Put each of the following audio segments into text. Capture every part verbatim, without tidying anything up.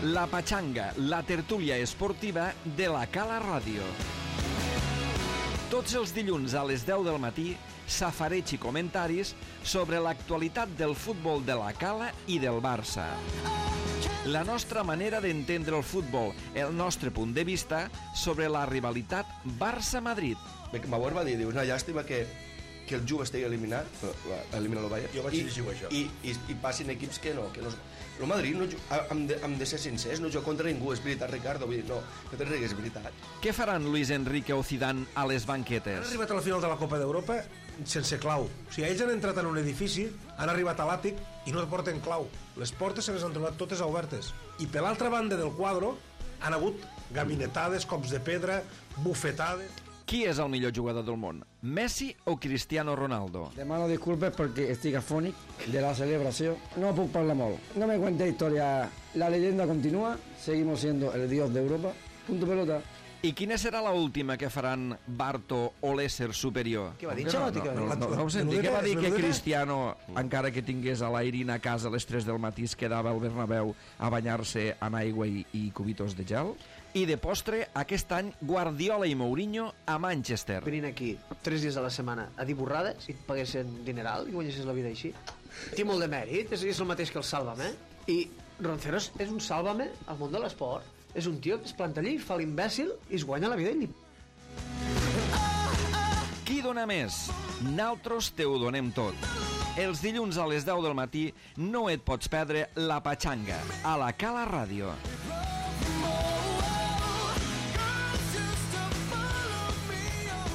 La Pachanga, la tertúlia esportiva de la Cala Ràdio. Tots els dilluns a les deu del matí, safareig i comentaris sobre l'actualitat del futbol de la Cala i del Barça. La nostra manera d'entendre el futbol, el nostre punt de vista sobre la rivalitat Barça-Madrid. Bauer va dir, diu, una llàstima que, que el Juve estigui eliminat, elimina el Bayern, jo vaig llegir això. I, i, i passin equips que no, que no... El Madrid, no, hem, de, hem de ser sincers, no juga contra ningú, és veritat, Ricardo, vull dir, no, no te rigues, és veritat. Què faran Luis Enrique o Zidane a les banquetes? Han arribat a la final de la Copa d'Europa sense clau. O sigui, ells han entrat en un edifici, han arribat a l'àtic i no porten clau. Les portes se les han trobat totes obertes. I per l'altra banda del quadre han hagut gabinetades, cops de pedra, bufetades... Qui és el millor jugador del món? Messi o Cristiano Ronaldo? Demano disculpes perquè estic afònic de la celebració. No puc parlar molt. No me cuente historia. La leyenda continúa. Seguimos siendo el dios de Europa. Punto pelota. I quina serà la última que faran Barto o l'ésser superior? Què va dir? No, no, no, no, no ho senti. Què va dir que Cristiano, encara que tingués a l'Airin a casa a les tres del matí, es quedava al Bernabéu a banyar-se en aigua i, i cubitos de gel? I de postre, aquest any, Guardiola i Mourinho a Manchester. Venint aquí tres dies a la setmana a dir borrades i et paguessin dineral i guanyessis la vida així. Té molt de mèrit, és, és el mateix que el Sálvame. I Ronceros és un Sálvame al món de l'esport. És un tio que es planta allí, fa l'imbècil i es guanya la vida i li... Qui dona més? Naltros te ho donem tot. Els dilluns a les deu del matí no et pots perdre La Pachanga a la Cala Ràdio.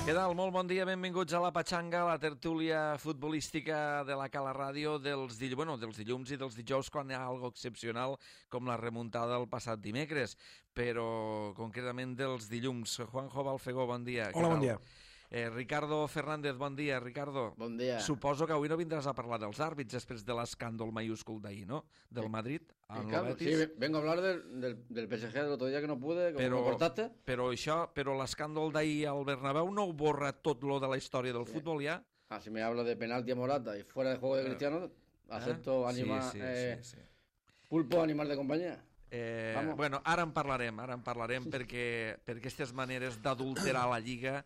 Què tal? Molt bon dia, benvinguts a La Pachanga, la tertúlia futbolística de la Cala Ràdio dels, dill... bueno, dels dilluns i dels dijous quan hi ha algo excepcional com la remuntada del passat dimecres, però concretament dels dilluns. Juanjo Balfegó, bon dia. Hola, bon dia. Eh, Ricardo Fernández, bon dia. Ricardo, bon dia. Suposo que avui no vindràs a parlar dels àrbits després de l'escàndol mayúscul d'ahir, ¿no? Del Madrid, en el Betis. Sí, vengo a hablar del, del, del P S G del otro día que no pude, como però, me cortaste. Però això, però l'escàndol d'ahir al Bernabéu no ho borra tot lo de la història del sí. futbol ja? Ah, si me habla de penalti a Morata y fuera de juego de Cristiano, eh? acepto eh? animar... Sí, sí, eh, sí, sí. Pulpo, animal de compañía. Eh, bueno, ara en parlarem, ara en parlarem perquè, perquè aquestes maneres d'adulterar la Lliga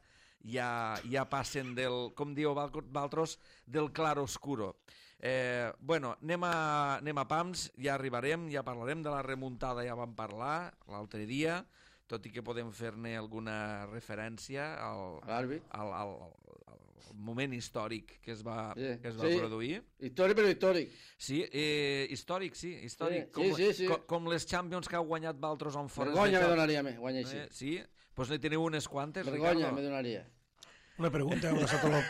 ja, ja passen del, com diu Valtros, del clar oscuro. Eh, bueno, anem a, anem a pams, ja arribarem, ja parlarem de la remuntada, ja vam parlar l'altre dia, tot i que podem fer-ne alguna referència al, al, al, al moment històric que es va, sí, que es va sí. produir. Històric, però històric. Sí, eh, històric, sí, històric. Sí, com, sí, sí. Com, com les Champions que ha guanyat Valtros on fora. Vergonya me donaria, me guanya així. Eh, sí? Doncs pues ne teniu unes quantes, Vergonya Ricardo? me donaria. Una pregunta, heu estat tot el,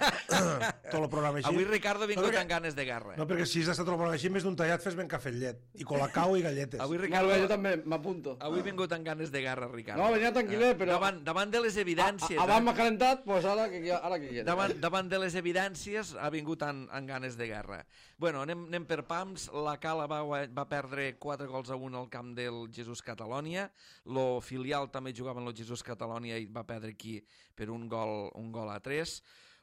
tot el programa així. Avui Ricardo ha vingut no, perquè, amb ganes de guerra. No, perquè si has estat tot el programa així, més d'un tallat fes ben cafè llet. I colacao i galletes. Avui Ricardo... Molt bé, jo també m'apunto. Avui ha vingut amb ganes de guerra, Ricardo. No, venia tranquil·let, però... Davant, davant de les evidències... Abans m'ha calentat, doncs pues ara que, ara que quiera. Davant, davant de les evidències ha vingut amb, amb ganes de guerra. Bueno, anem, anem per pams. La Cala va, va perdre quatre gols a un al camp del Jesús Catalònia. Lo filial també jugava en el Jesús Catalònia i va perdre aquí per un gol, un gol a tres.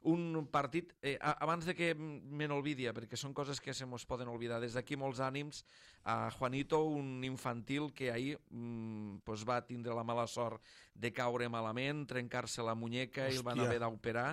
Un partit, eh, abans de que me n'olvidi, perquè són coses que se mos poden oblidar, des d'aquí molts ànims a Juanito, un infantil que ahir mm, pues va tindre la mala sort de caure malament, trencar-se la muñeca. Hòstia. I el van haver d'operar.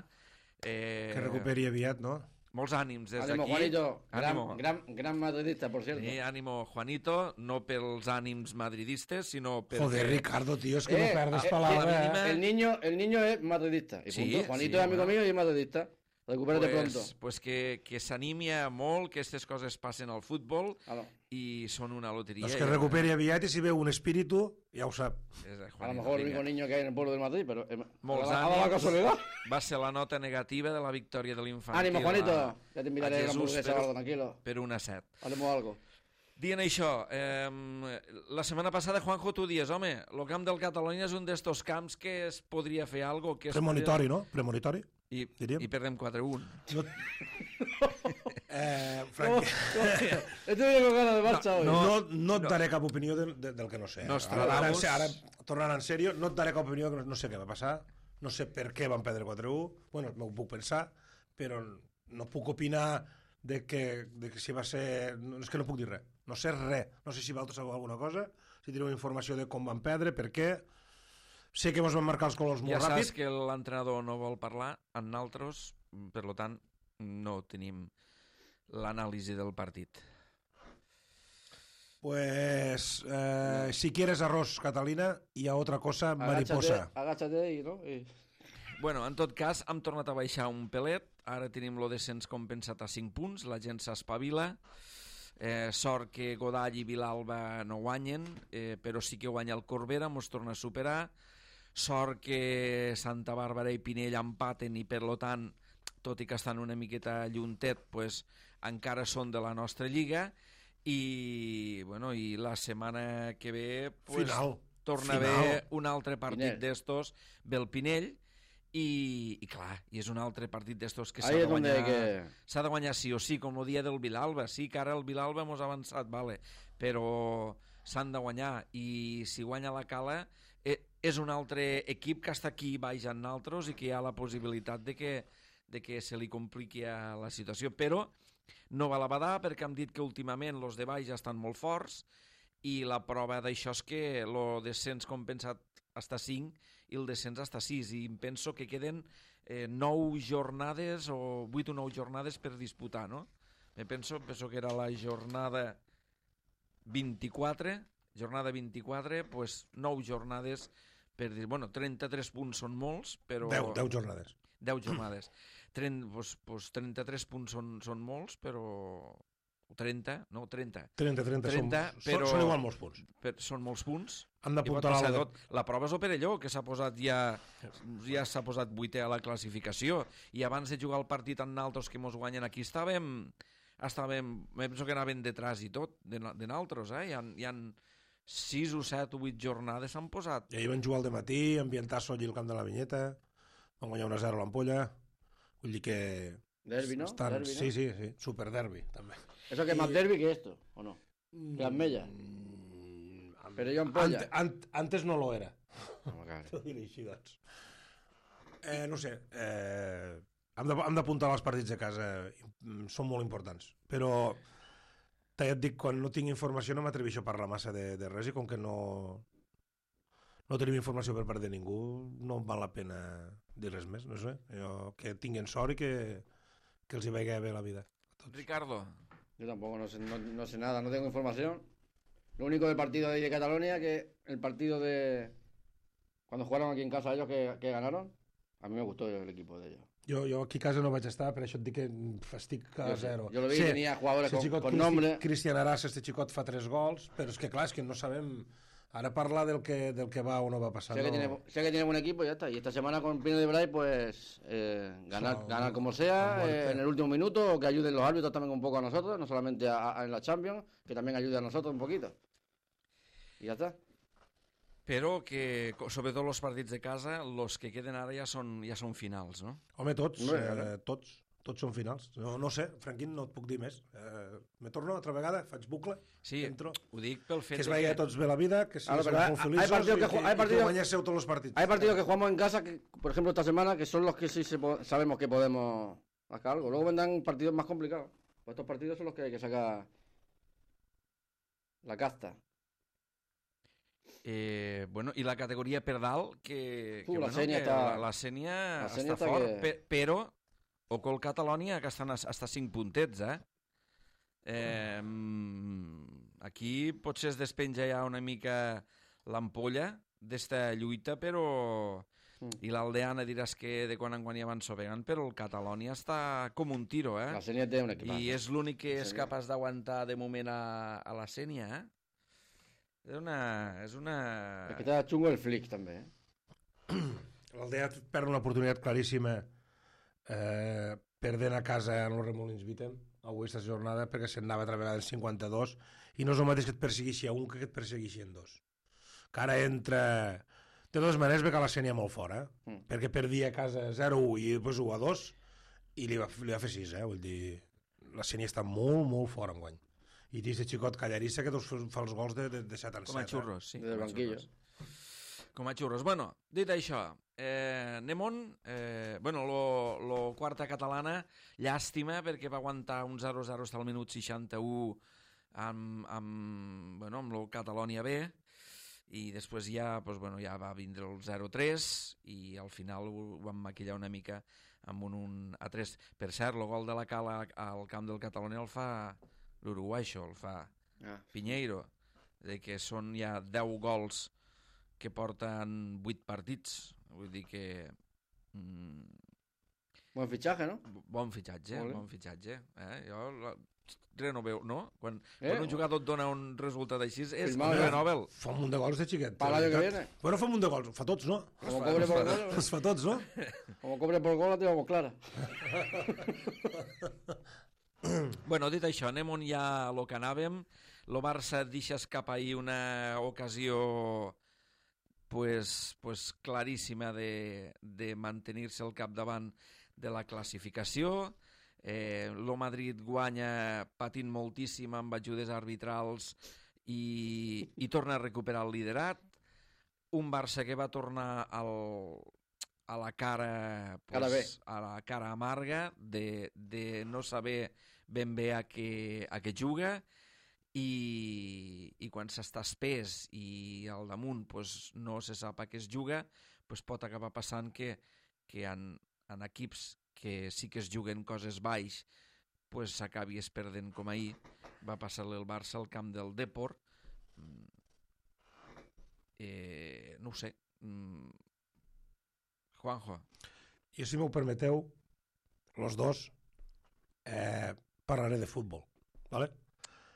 Eh, que recuperi aviat, no? Molts ànims des d'aquí. Ánimo, Juanito, gran, gran, gran madridista, por cierto. Sí, ánimo, Juanito, no pels ànims madridistes, sino perquè... Joder, Ricardo, tío, es que eh, no perdes eh, palabras. Eh, el, niño, el niño es madridista, y sí, punto. Juanito sí, es amigo bueno. mío y es madridista. Recupérate pues, pronto. Pues que, que s'animi molt, que aquestes coses passen al futbol ah, no. i són una loteria. Pues que recuperi aviat i si veu un espíritu, ja ho sap. A lo mejor el único niño que hay en el pueblo del Madrid, pero eh, molts a, la, a la casualidad. Va ser la nota negativa de la victòria de l'infantil. Ánimo, Juanito, a, ja t'invitaré a la hamburguesa, per, tranquilo. Per una set. Haremos algo. Dient això, eh, la setmana passada, Juanjo, tu dies, home, el camp del Catalunya és un d'estos camps que es podria fer algo... Que Premonitori, podria... no? Premonitori. I, i perdem quatre a un. No, eh, Frank... No, he tenido ganas de marcha hoy. No, no, no et daré cap opinió del, del que no sé. Ara, ara, ara, tornant en sèrio, no et daré cap opinió, que no, no sé què va passar, no sé per què van perdre quatre a un, bueno, m'ho puc pensar, però no puc opinar de que, de que si va ser... No, és que no puc dir res. no sé res. No sé si vosaltres sabeu alguna cosa, si teniu informació de com van perdre, per què. Sé que ens van marcar els colors molt ja ràpid. Ja saps que l'entrenador no vol parlar amb nosaltres, per tant, no tenim l'anàlisi del partit. Pues, eh, si quieres arroz, Catalina, y a otra cosa, mariposa. Agáchate y, ¿no? Y... Bueno, en tot cas, hem tornat a baixar un pelet. Ara tenim lo descens compensat a cinc punts. La gent s'espavila. Eh, sort que Godall i Vilalba no guanyen, eh, però sí que guanya el Corbera, mos torna a superar. Sort que Santa Bàrbara i Pinell empaten i, per lo tant, tot i que estan una miqueta lluntet, pues, encara són de la nostra lliga. I, bueno, i la setmana que ve pues, Final. torna Final. a haver un altre partit d'estos, ve el Pinell, i, i clar, i és un altre partit d'estos que s'ha de guanyar que... s'ha de guanyar sí o sí, com el dia del Vilalba. Sí que ara el Vilalba mos ha avançat, vale, però s'han de guanyar, i si guanya la Cala eh, és un altre equip que està aquí baix amb nosaltres i que hi ha la possibilitat de que, de que se li compliqui la situació, però no val a badar perquè hem dit que últimament els de baix estan molt forts, i la prova d'això és que el descens compensat està cinc i el descens està sis, i em penso que queden eh, nou jornades o vuit o nou jornades per disputar, no? Me penso, penso que era la jornada vint-i-quatre, jornada vint-i-quatre, pues nou jornades per dir, bueno, trenta-tres punts són molts, però... deu, deu jornades. deu jornades. trenta, pues, pues trenta-tres punts són, són molts, però... trenta, no, trenta. trenta, trenta, trenta són, però... són igual molts punts. Per, són molts punts. Han d'apuntar la... la... La prova és el Perelló, que s'ha posat ja ja s'ha posat vuitè a la classificació, i abans de jugar el partit amb naltros que mos guanyen aquí estàvem, estàvem, penso que anaven detrás i tot, de, de naltros, eh? Hi ha, hi ha sis o set o vuit jornades s'han posat. I ahir van jugar al dematí, ambientar-se allí al camp de la Vinyeta, van guanyar una a zero a l'Ampolla, vull dir que... Derbi, ¿no? Estan... Derbi, ¿no? Sí, sí, sí, super derbi, també. ¿Eso que es más derbi que esto, o no? Que las mellas. Mm, Pero yo ampolla. Ant, ant, antes no lo era. Oh, T'ho diré així, doncs. Eh, no sé, eh, hem d'apuntar els partits de casa, són molt importants, però ja et dic, quan no tinc informació no m'atreveixo a parlar massa de, de res, i com que no no tenim informació per part de ningú, no val la pena dir res més, no sé, jo, que tinguin sort i que, que els hi vagi bé la vida. Ricardo. Yo tampoco no sé, no, no sé nada, no tengo información. Lo único del partido de ahí de Cataluña, que el partido de... Cuando jugaron aquí en casa ellos que, que ganaron, a mí me gustó el equipo de ellos. Jo, jo aquí a casa no vaig estar, per això et dic que estic a zero. Jo lo vi, sí, tenia jugadores con, con nombre. Cristian Arás, este xicot fa tres gols, però és que clar, és que no sabem... Ara parlar del que, del que va o no va pasar. Sé, no... que tiene, sé que tiene buen equipo y ya está. Y esta semana con Pino de Bray, pues eh, ganar, so, ganar como sea eh, en el último minuto, o que ayuden los árbitros también un poco a nosotros, no solamente a, a, en la Champions, que también ayude a nosotros un poquito. Y ya está. Però que, sobretot els partits de casa, els que queden ara ja són, ja són finals, no? Home, tots, no, eh, tots. Tots són finals. No, no sé, Franquín, no et puc dir més. Eh, me torno altra vegada, faig bucle, sí, entro. Ho dic pel fet que es vegi que... a tots bé la vida, que si Ahora, som hay, molt feliços hay partidos i que, que, hay i partidos, que guanyéssiu tots els partits. Hay partidos que jugamos en casa, que, por ejemplo, esta semana, que son los que sí se po sabemos que podemos sacar algo. Luego vendrán partidos más complicados. Pues estos partidos son los que hay que sacar la casta. Eh, bueno, i la categoria per dalt, que, uh, que, la bueno, Sènia que està, la, la Sènia la està, està fort, que... pe, però Ocol Catalonia, que estan hasta cinc puntets, eh? eh aquí potser es despenja ja una mica l'ampolla d'esta lluita, però... Mm. I l'Aldeana diràs que de quan en quan hi avanço vegant, però el Catalonia està com un tiro, eh? La Sènia té un equip. I és l'únic que és capaç d'aguantar de moment a, a la Sènia, eh? És una... És una... És que està xungo el flic, també, eh? L'Aldea perd una oportunitat claríssima eh, perdent a casa en els Remolins Vitem avui aquesta jornada, perquè se'n anava altra vegada en cinquanta-dos, i no és el mateix que et persegueixi a un que et persegueixi en dos. Que ara entra... De totes maneres ve que la Sènia molt fora, eh? mm. perquè perdia a casa zero a u i després u a dos, i li va, li va fer sis, eh? Vull dir, la Sènia està molt, molt fora enguany. I té aquest xicot callarissa que fa els gols de, de, de set en set. Com a xurros, eh? sí. Del banquillo. Com a xurros. Bueno, dit això, eh, anem on? Eh, bueno, lo, lo quarta catalana, llàstima, perquè va aguantar un zero a zero fins al minut seixanta-u amb, amb, bueno, amb el Catalonia B, i després ja, doncs, bueno, ja va vindre el zero tres i al final ho vam maquillar una mica amb un, un a tres. Per cert, el gol de la Cala al camp del Catalonia el fa l'Uruguai, això, el fa Ah. Piñeiro, de que són ja deu gols que porten vuit partits, vull dir que mm, Buen fichaje, ¿no? bon fitxatge, Molt bé. bon fitxatge. Eh? Jo la, res no veu, no? Quan, Eh? quan un jugador et dona un resultat així és Firmado premi ya. Nobel. Fa un munt de gols de xiquet. Para el año que viene. Bueno, fa un munt de gols. Fa tots, no? Como cobre por gol, Els fa tots, no? como cobre por gol la tenemos clara. Bueno, dit això, anem on ja a lo que anàvem. Lo Barça deixa escapar ahir una ocasió pues, pues claríssima de, de mantenir-se al capdavant de la classificació. Eh, lo Madrid guanya patint moltíssim amb ajudes arbitrals i, i torna a recuperar el liderat. Un Barça que va tornar al, a la cara, pues, Cara B. a la cara amarga de, de no saber ben bé a què, a què juga, i, i quan s'està espès i al damunt pues, no se sap a què es juga, pues, pot acabar passant que, que en, en equips que sí que es juguen coses baix pues, s'acabi es perdent com ahir va passar-li el Barça al camp del Depor. Eh, no ho sé. Mm. Juanjo. Jo, si m'ho permeteu, los dos, eh, parlaré de futbol, ¿vale?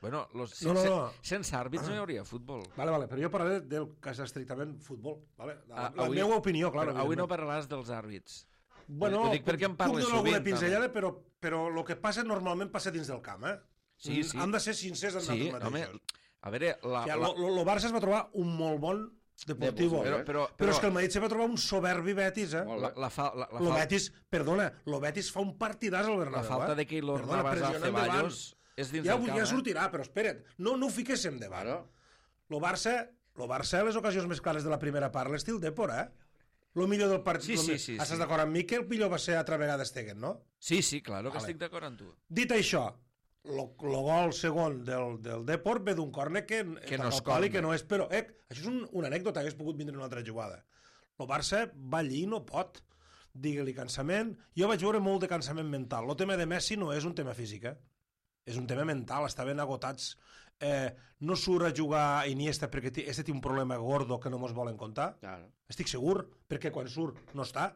Bueno, los, No, no, sense, no. sense àrbits no hi hauria futbol. Vale, vale, però jo parlaré del que és estrictament futbol, vale? La, Ah, la avui- meva opinió, clar. Però avui no parlaràs dels àrbits. Bueno, ho dic perquè en parles puc donar alguna sovint, pinzellada, però, però el que passa normalment passa dins del camp, eh? Sí, sí. Han de ser sincers amb Sí, nosaltres home, mateixos. a veure... La, O sigui, la, lo, lo, lo Barça es va trobar un molt bon Deportivo. però, però, Però, però és que el Madrid se va trobar un soberbi Betis, eh? Molt la, bé. la, fa, la, la, Lo fa, Betis, perdona, lo Betis fa un partidàs al la Bernabéu, falta eh? de Keylor Perdona, Navas a pressionant Ceballos davant. és dins Ja, del camp, ja eh? sortirà, però espera't, no, no ho fiquéssim davant. Claro. Lo Barça, lo Barça, les ocasions més clares de la primera part, l'estil Depor, eh? Lo millor del partit... Sí, lo sí, mi- sí, Estàs sí. d'acord amb mi que el millor va ser altra vegada Stegen, no? Sí, sí, claro que Vale. estic d'acord amb tu. Dit això, lo, lo gol segon del, del Depor ve d'un córner que, Que no és al pal i córner. que no és, però eh, això és un, una anècdota, hagués pogut vindre una altra jugada. El Barça va allí i no pot. Digue-li cansament. Jo vaig veure molt de cansament mental. El tema de Messi no és un tema físic, eh? És un tema mental, estaven agotats. Eh, no surt a jugar Iniesta perquè té, este té un problema gordo que no mos volen contar. Claro. Estic segur, perquè quan surt no està.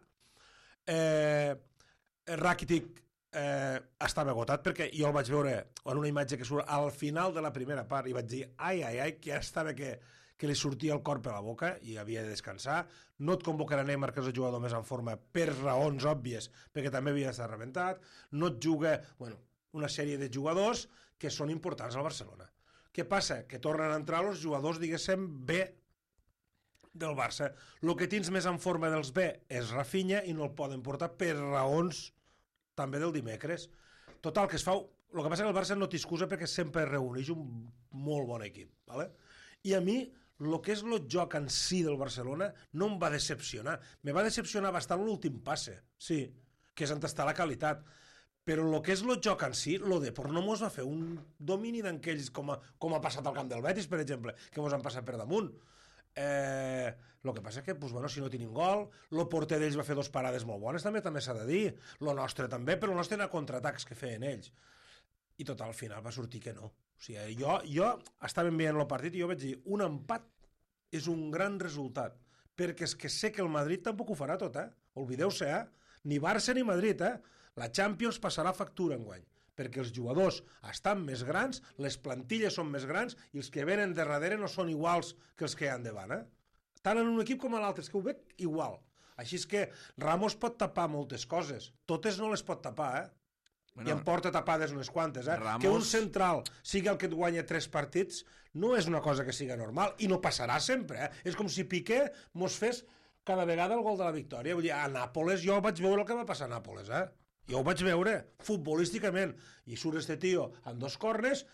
Eh, Rakitic eh, estava agotat perquè jo el vaig veure en una imatge que surt al final de la primera part i vaig dir, ai, ai, ai, que ja estava que, que li sortia el cor per la boca i havia de descansar. No et convocarà Neymar, que és el jugador més en forma, per raons òbvies, perquè també havia d'estar rebentat. No et juga, bueno, una sèrie de jugadors que són importants al Barcelona. Què passa? Que tornen a entrar els jugadors, diguéssim, B del Barça. El que tens més en forma dels B és Rafinha i no el poden portar per raons també del dimecres. Total, que es fa... El que passa que el Barça no té excusa perquè sempre reuneix un molt bon equip. ¿Vale? I a mi, el que és el joc en si del Barcelona no em va decepcionar. Me va decepcionar bastant l'últim passe, sí, que és on està la qualitat. Però el que és el joc en si, el Depor no mos va fer un domini d'aquells com, a, com ha passat al camp del Betis, per exemple, que mos han passat per damunt. Eh, el que passa que, pues, bueno, si no tenim gol, el porter d'ells va fer dos parades molt bones, també també s'ha de dir. El nostre també, però el nostre era contraatacs que feien ells. I total, al final va sortir que no. O sigui, jo, jo estava veient el partit i jo vaig dir, un empat és un gran resultat, perquè és que sé que el Madrid tampoc ho farà tot, eh? Oblideu-se, eh? Ni Barça ni Madrid, eh? La Champions passarà factura enguany, perquè els jugadors estan més grans, les plantilles són més grans i els que venen de darrere no són iguals que els que hi ha endavant, eh? Tant en un equip com en l'altre, és que ho veig igual. Així és que Ramos pot tapar moltes coses, totes no les pot tapar, eh? Bueno, i en porta tapades unes quantes, eh? Ramos... Que un central sigui el que et guanya tres partits no és una cosa que siga normal i no passarà sempre, eh? És com si Piqué mos fes cada vegada el gol de la victòria. Vull dir, a Nàpoles jo vaig veure el que va passar a Nàpoles, eh? Jo ho vaig veure, futbolísticament, i surt este tio amb dos cornes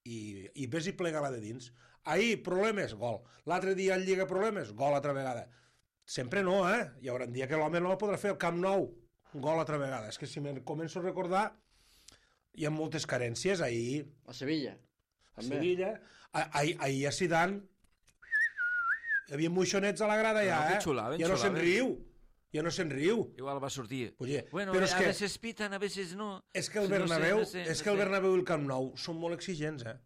i, i ves i plega la de dins. Ahir, problemes, gol. L'altre dia en Lliga, problemes, gol altra vegada. Sempre no, eh? Hi haurà un dia que l'home no el podrà fer al Camp Nou, gol altra vegada. És que si me'n començo a recordar, hi ha moltes carències. Ahir, A Sevilla. Sevilla. Ahir a Zidane hi havia moixonets a la grada ja, no, eh? Xulaven, ja no se'n riu. Ja no se'n riu. Igual va sortir. Oye, bueno, però és a que, veces pitan, a veces no. És que el No sé, Bernabéu, no sé, no és que el sé. Bernabéu i el Camp Nou són molt exigents, eh?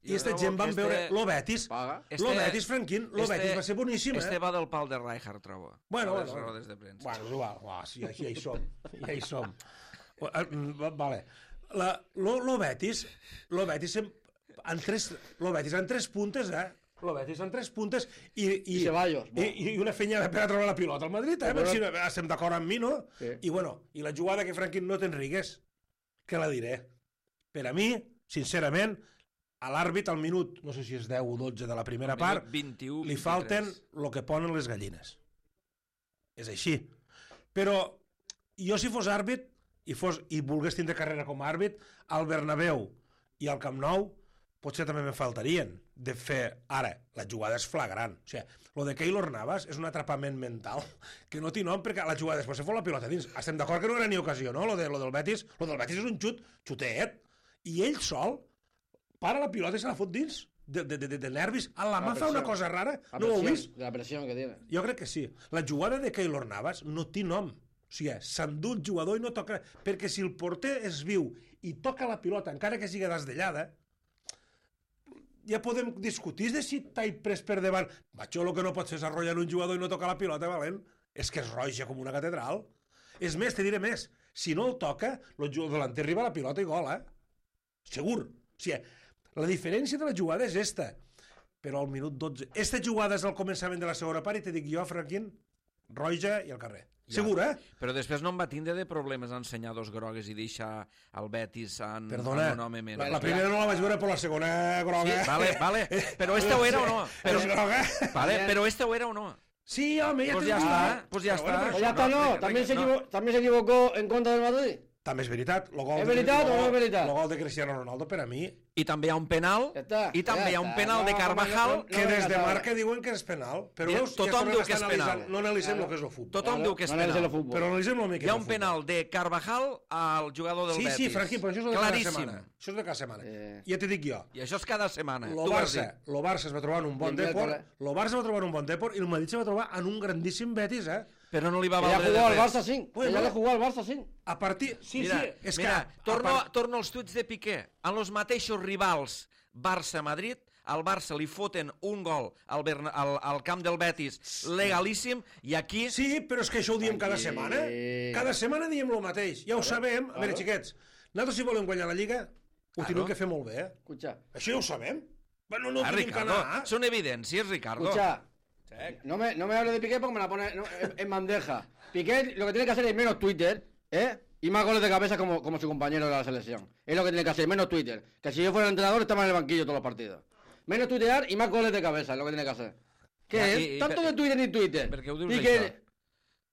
I Jo aquesta trobo gent van que veure... este- Lo Betis, Paga. lo Betis, Franquín, lo este- Betis va ser boníssim, eh? Este va del pal de Rijkaard, trobo. Bueno, a les bueno. rodes de premsa. Bueno, és igual. Uah, sí, ja, ja hi som. Ja hi som. Va- Vale. La, lo, lo Betis, lo Betis en, en tres, lo Betis en tres puntes, eh? Lo Betis en tres puntes i, i, I Ceballos, i, i una fenya per a trobar la pilota al Madrid, eh? Però- Si estem d'acord amb mi, no? Sí. I bueno, i la jugada que Franquín no te'n rigues, que la diré. Per a mi, sincerament, a l'àrbit al minut, no sé si és deu o dotze de la primera Minut part, vint-i-u, li vint-i-tres. falten el que ponen les gallines. És així. Però jo si fos àrbit i, fos, i volgués tindre carrera com a àrbit, al Bernabéu i al Camp Nou potser també me faltarien de fer... Ara, la jugada és flagrant. O sigui, lo de Keylor Navas és un atrapament mental que no té nom perquè la jugada després se fot la pilota dins. Estem d'acord que no era ni ocasió, no? Lo, de, lo del Betis, lo del Betis és un xut, xutet. I ell sol para la pilota i se la fot dins de, de, de, de nervis. A la mà fa una cosa rara. La No ho heu presión, vist? la presión que tiene. Jo crec que sí. La jugada de Keylor Navas no té nom. O sigui, s'endú el jugador i no toca... Perquè si el porter és viu i toca la pilota, encara que sigui desdellada, ja podem discutir de si t'hai pres per davant. Això el que no pot ser és arrollar un jugador i no tocar la pilota, valent. És que és roja com una catedral. És més, te diré més. Si no el toca, el jugador delanter arriba a la pilota i gol, eh? Segur. O sigui, la diferència de la jugada és esta. Però al minut dotze... Esta jugada és al començament de la segona part i te dic jo, Franquín, roja i al carrer. Ja. Segur, eh? Però després no em va tindre de problemes a ensenyar dos grogues i deixar el Betis en, Perdona, en un home menys. la, la primera no la vaig veure, però la segona groga... Sí, vale, vale. Però esta ho era o no? Però, És groga. vale, però esta ho era o no? Sí, home, ja Pues te ja dic. està, pues ja Però està. bueno, Pues ya está, no. venga, También se, no. equivo- también se equivocó en contra del Madrid. També és veritat. Lo gol És de- veritat lo o no gol- és veritat? El gol de Cristiano Ronaldo, per a mi, I també hi ha un penal, Ja està, i també ja hi ha un està. penal de No, Carvajal, no, que no, des de no, marca diuen que és penal. Però Ja, veus, tothom ja tornem diu a que estar és penal. analitzant- No analitzem Claro. el que és el futbol. tothom diu que és no analitzem el penal. futbol. Però analitzem el que Hi és ha el un futbol. penal de Carvajal al jugador del Sí, Betis. sí, Franqui, però això és de cada Claríssim. setmana. Això és de cada setmana. Eh. Ja t'he dic jo. I això és cada setmana. Lo Tu ho has Barça, dit. lo Barça es va trobar en un bon I el deport, miércoles. lo Barça va trobar en un bon deport i el Madrid se va trobar en un grandíssim Betis, eh? Però no li va Que ya valdre jugó de al res. Barça cinc. Bueno. Que ya le jugó al Barça cinc. A partir... Sí, Mira, sí, és mira, que... torno, a part- torno als tuits de Piqué. En els mateixos rivals Barça-Madrid, al Barça li foten un gol al, Berna, al, al camp del Betis legalíssim, i aquí... Sí, però és que això ho diem cada Aquí. setmana. Cada setmana diem el mateix. Ja ho sabem. A veure, xiquets, nosaltres si volem guanyar la Lliga, ho tenim que fer molt bé, eh? Escucha, Això ja ho sabem. Bueno, no Ah, tenim que Ricardo, anar. són evidències, Ricardo. escucha. No me, no me hable de Piqué porque me la pone no, en, en bandeja. Piqué lo que tiene que hacer es menos Twitter, ¿eh? Y más goles de cabeza como, como su compañero de la selección. Es lo que tiene que hacer, menos Twitter. Que si yo fuera el entrenador estaba en el banquillo todos los partidos. Menos tuitear y más goles de cabeza, es lo que tiene que hacer. ¿Qué Ya, es? y- y Tanto per- de Twitter ni Twitter. per què ho dius, Piqué, això?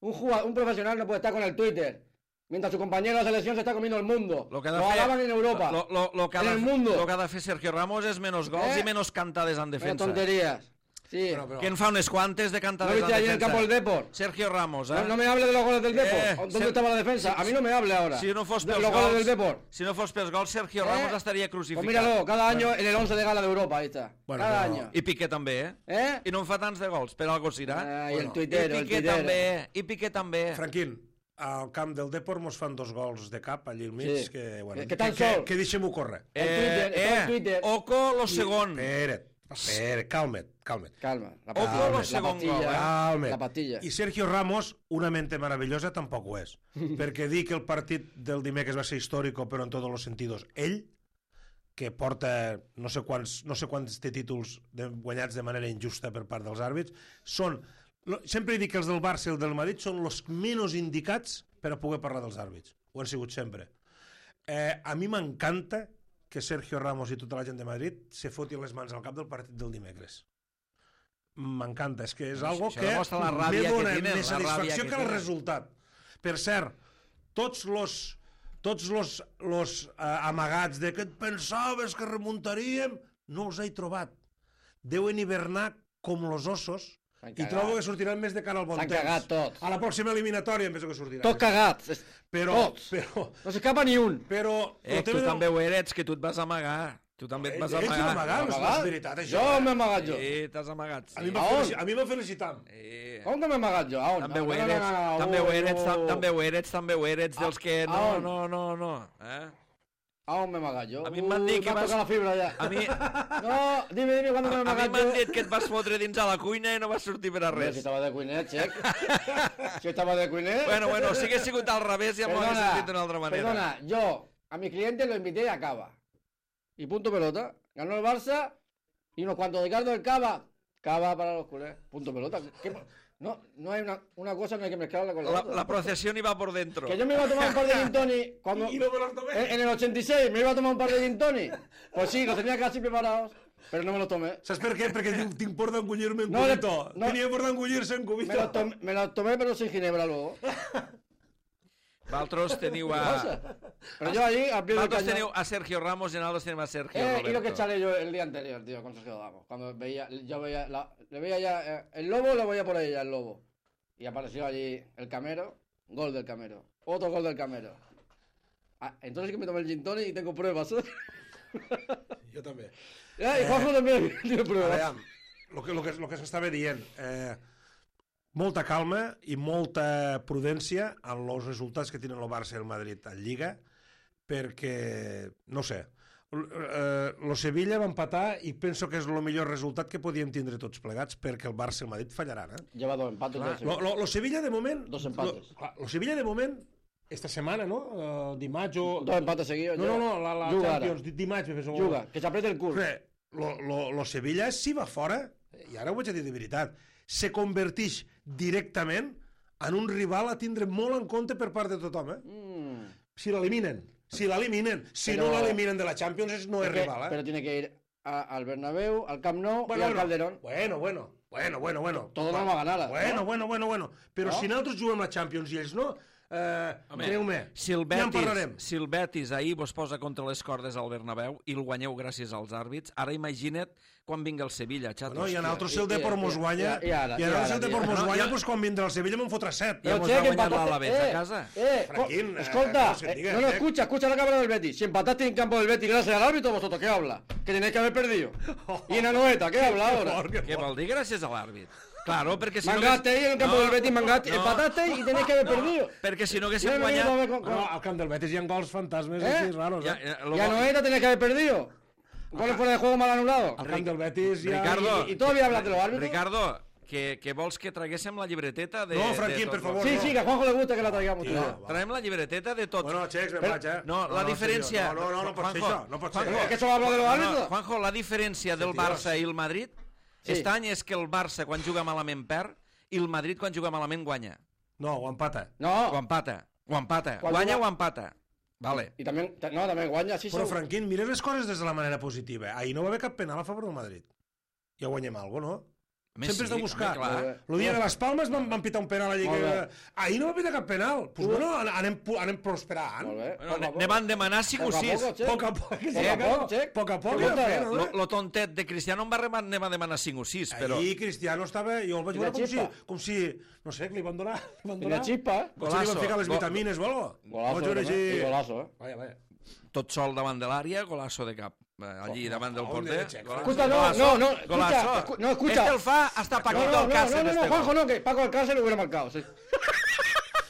un, jugador, un profesional no puede estar con el Twitter. Mientras su compañero de la selección se está comiendo el mundo. Lo Lo, que ha de fer- alaban en Europa. Lo, lo, lo que ha en de, el mundo. Lo que ha de fer Sergio Ramos és menos gols Eh? i menos cantades en Menos defensa. tonterías. Sí. Però, però, Que en fa unes quantes de ¿No cantades viste en ayer en el defensa. campo del Depor? Sergio Ramos, eh? No, no me hable de los goles del Depor. Eh, ¿Dónde Ser- estaba la defensa? A mí no me hable ahora. Si no fos de pels los goles gols, del Depor. si no fos pels gols, Sergio Eh? Ramos estaria Pues crucificat. míralo, cada año en el once de gala de Europa, ahí está. Bueno, cada pero- año. I Piqué també, eh? ¿Eh? I no en fa tants de gols, per algo serà. Ah, y el Bueno. tuitero, I el Piqué tuitero. també, i Piqué també. Franquín, al camp del Depor mos fan dos gols de cap allí al mig, Sí. que, bueno, Que- que tan que, que, sol. que deixem-ho córrer. El Twitter, estaba en Twitter. Oco lo segon. Espera't, espera't, calma't, calma't. Calma. La Ojo, pastilla. lo la segon pastilla. gol, eh? Calma't. La pastilla. I Sergio Ramos, una mente maravillosa, tampoc ho és. Perquè dir que el partit del dimecres va ser històric, però en tots els sentidos. Ell, que porta no sé quants, no sé quants té títols de, guanyats de manera injusta per part dels àrbits, són, lo- sempre dic que els del Barça i el del Madrid són els menys indicats per a poder parlar dels àrbits. Ho han sigut sempre. Eh, a mi m'encanta que Sergio Ramos i tota la gent de Madrid se fotin les mans al cap del partit del dimecres. M'encanta, és que és Això algo que demostra la me ràbia que dona tenen, més la ràbia satisfacció que que, el tenen. resultat. Per cert, tots los tots los, los eh, amagats de que et pensaves que remuntaríem, no els he trobat. Deuen hivernar com los ossos S'han i cagat. trobo que sortiran més de cara al bon S'han temps. cagat tots. A la pròxima eliminatòria em penso que sortiran. Tots cagats. Es- Però, tots. però, No s'escapa ni un. però... Eh, el tu tema del- també ho eres, que tu et vas amagar. Tu també et Ells vas s'han amagar. amagat, no és Amagat? veritat, això. Jo m'he amagat jo. Sí, t'has amagat. A Sí. mi m'ha A on? felici- a mi m'ha felicitat. Sí. Com que m'he amagat jo? A on? També No, ho no, no, eres, no, no, també ho no, eres, no. tam- també ho eres, també ho eres, dels que A no, on? no, no, no. Eh? A on m'he amagat jo? A mi m'han dit Ui, que m'ha vas- tocat la fibra ja. A mi, No, dime, dime, ¿cuándo me he a mi amagat m'han jo? dit que et vas fotre dins a la cuina i no vas sortir per a Hombre, res. si estava de cuiner, xec. Si estava de cuiner... Bueno, bueno, si hagués sigut al revés ja m'ho hagués sentit d'una altra manera. Perdona, yo a mi cliente lo invité a Cava. Y punto pelota. Ganó el Barça y unos cuantos de Cardo del Cava. Cava para los culés. Punto pelota. ¿Qué- No, no hay una, una cosa, no hay que mezclarla con la, La, otra. la procesión iba por dentro. Que yo me iba a tomar un par de gin tonic cuando... I no me los tomé. en, en el ochenta y seis me iba a tomar un par de gin tonic. Pues sí, los tenía casi preparados, pero no me los tomé. Saps per què? Perquè tinc, tinc por d'engullir-me en No, cubito. no. Tenia por d'engullir-se en Me cubito. los, tomé, me los tomé, pero sin ginebra luego. Vosaltres teniu ¿Qué a... pasa? Pero yo allí, al pie del Vosaltres cañón... teniu a Sergio Ramos y nosotros tenemos a Sergio Eh, Roberto. y lo que echaré yo el día anterior, tío, con Sergio Ramos. Cuando veía, yo veía, la- le veía ya, eh, el lobo, le veía por ahí ya el lobo. Y apareció allí el Camero, gol del Camero. Otro gol del Camero. Ah, entonces que me tomé el gin tonic y tengo pruebas. ¿eh? Jo també. Eh, y Juanjo también tiene pruebas. Aviam, el que, lo que, lo que s'estava dient, eh, molta calma i molta prudència en els resultats que tenen el Barça i el Madrid en Lliga, perquè, no sé, l- eh, lo Sevilla va empatar i penso que és el millor resultat que podíem tindre tots plegats, perquè el Barça i el Madrid fallaran. Eh? Lleva dos empates. ya, Lo, lo, lo Sevilla de moment... Dos empates. Lo, clar, lo Sevilla de moment, esta setmana, no? Uh, dimarts o... Dos empates seguidos. No, ya. no, no, la, la Juga Champions, ara. di- dimarts. me fes un- Juga, que se apriete el culo. Re, lo, lo, lo Sevilla, si va fora, i ara ho vaig a dir de veritat, se converteix directament en un rival a tindre molt en compte per part de tothom, eh? Mm. Si l'eliminen, si l'eliminen, si Però- no l'eliminen de la Champions, és- no és Porque- rival, eh? Pero tiene que ir a- al Bernabéu, al Camp Nou y al Calderón. Bueno, bueno, bueno, bueno, bueno. Todo no va a ganar, Bueno, ¿no? bueno, bueno, bueno. Però No? si nosaltres juguem la Champions i ells no, eh, Home, creu-me, Si el, ja en parlarem. Betis, si el Betis ahir vos posa contra les cordes al Bernabéu i el guanyeu gràcies als àrbits, ara imagina't quan vingui el Sevilla, xatos. No, i a nosaltres si el I- i- Depor mos i- guanya, i ara, i a i nosaltres ara, si el Depor i mos ara. guanya, No, doncs quan vindrà el Sevilla me'n fotrà set. Ja mos va guanyar l'Alavés a casa. Eh, Franquín, co- eh, escolta, no se eh, diga, no, no, eh. escucha, escucha la cámara del Betis. Si empataste en campo del Betis gracias al árbitro, vosotros, ¿qué habla? Que tenéis que haber perdido. Y en Anoeta, ¿qué habla ahora? Què vol dir gràcies a l'àrbit? Claro, perquè si Mangaste ahí en el campo No, del Betis, mangaste, no. empataste y tenéis que haber perdido. Perquè si no Y haguéssim ahora venimos a guanyat... ver con- con- No, al camp del Betis hi ha gols fantasmes Eh? així raros, Ja, eh? ja, Y lo- a Anoeta tenéis que haber perdido. Goles fuera de juego mal anulado. Al camp del Betis hi ha... Ricardo, Y, y todavía hablas de los árbitros. Ricardo, que, que vols que traguéssim la llibreteta de... No, de Franquín, tot per lo- favor. Sí, no. sí, que a Juanjo le gusta que la traigamos. Tío, tío. va. Traiem la llibreteta de tot. Bueno, Xecs, ben Però- vaig, eh? No, la diferència... No, no, no, no pot ser Juanjo, això, no pot ser. Juanjo, Es que eso habla de los no, árbitros. Juanjo, la diferència del Dios. Barça i el Madrid Sí. aquest any és que el Barça quan juga malament perd i el Madrid quan juga malament guanya. No, ho empata. O No, empata. O empata. Quan Guanya juga- o empata. Vale. y también, no, también guanya, sí, Però, sí. Franquín, mira les coses des de la manera positiva. Ahir no va haver cap penal a favor del Madrid. Ja guanyem alguna cosa, no? A més, Sempre has de sí, buscar. home, clar. El dia de les Palmes van, van pitar un penal allà. Molt Que... bé. Ahir no va pitar cap penal. Doncs pues, bueno, anem, anem prosperant. Molt bé. Bueno, ne, ne van demanar cinc o Poco a sis. poco, che. Poc a poc. Poc a poc, Xec. Poc a poc. Què anem vols fent, Lo, no? lo tontet de Cristiano em va, rema- ne va demanar cinc o sis, però... Ahir Cristiano estava... Jo el vaig I la veure com si, xispa. com si... No sé, que li van donar... Li van Y la donar... chispa, ¿eh? Potser li van Golazo. ficar les Go- vitamines o alguna cosa. Golazo, Vaig veure també. així- I golazo, eh? Vaya, vaya. Tot sol davant de l'àrea, golazo de cap. Eh, Allí Oh, davant del oh, porter. de Xec. Golazo. Escucha, no, Golazo, no, no, escucha, golazo. escu- no, escucha. Este el fa hasta No, Paquito no, Alcácer. no, no, no, este Juanjo gol. no, que Paco Alcácer lo hubiera marcado, sí.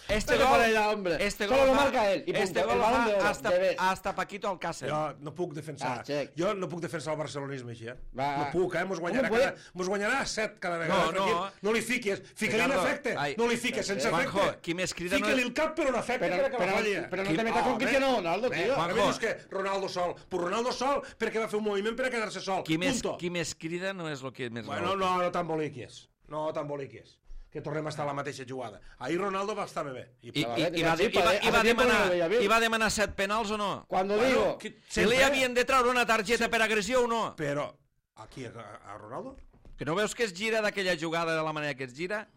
Este Pero gol, para allá, hombre. este Solo gol lo fa- marca él, y punto. Este El gol balón de fa oro, hasta, de vez. hasta Paquito Alcácer. Jo no puc defensar. Ah, Xec. Jo no puc defensar el barcelonisme així, eh? Va. No puc, eh? Mos guanyarà, Com ho cada, mos guanyarà set cada vegada. No, no. Franquín. No li fiquis. Fica-li en Ricardo, efecte. ai. No li fiques sense Juanjo, efecte. qui més crida no Fica-li és- el cap per un efecte Pero, per acabar pero, la lliga. pero no Qui- te metas con Oh, Cristiano bé. Ronaldo, Bé, tío. Ara Juanjo. dius que Ronaldo sol. Pues Ronaldo sol perquè va fer un moviment per a quedar-se sol. Qui més, Punto. qui més crida no és el que més Bueno, gol. no, no t'emboliquis. No t'emboliquis. Que tornem a estar a la mateixa jugada. Ahir Ronaldo va estar bé. I, I, i, Vale, i, va, sí, i, va, hace i, va tiempo no demanar, lo veía bien. I va demanar set penals o no? Cuando Bueno, digo... qui- Si li sempre- havien de treure una targeta per agressió o no? Però, aquí, a, a Ronaldo? Que no veus que es gira d'aquella jugada de la manera que es gira?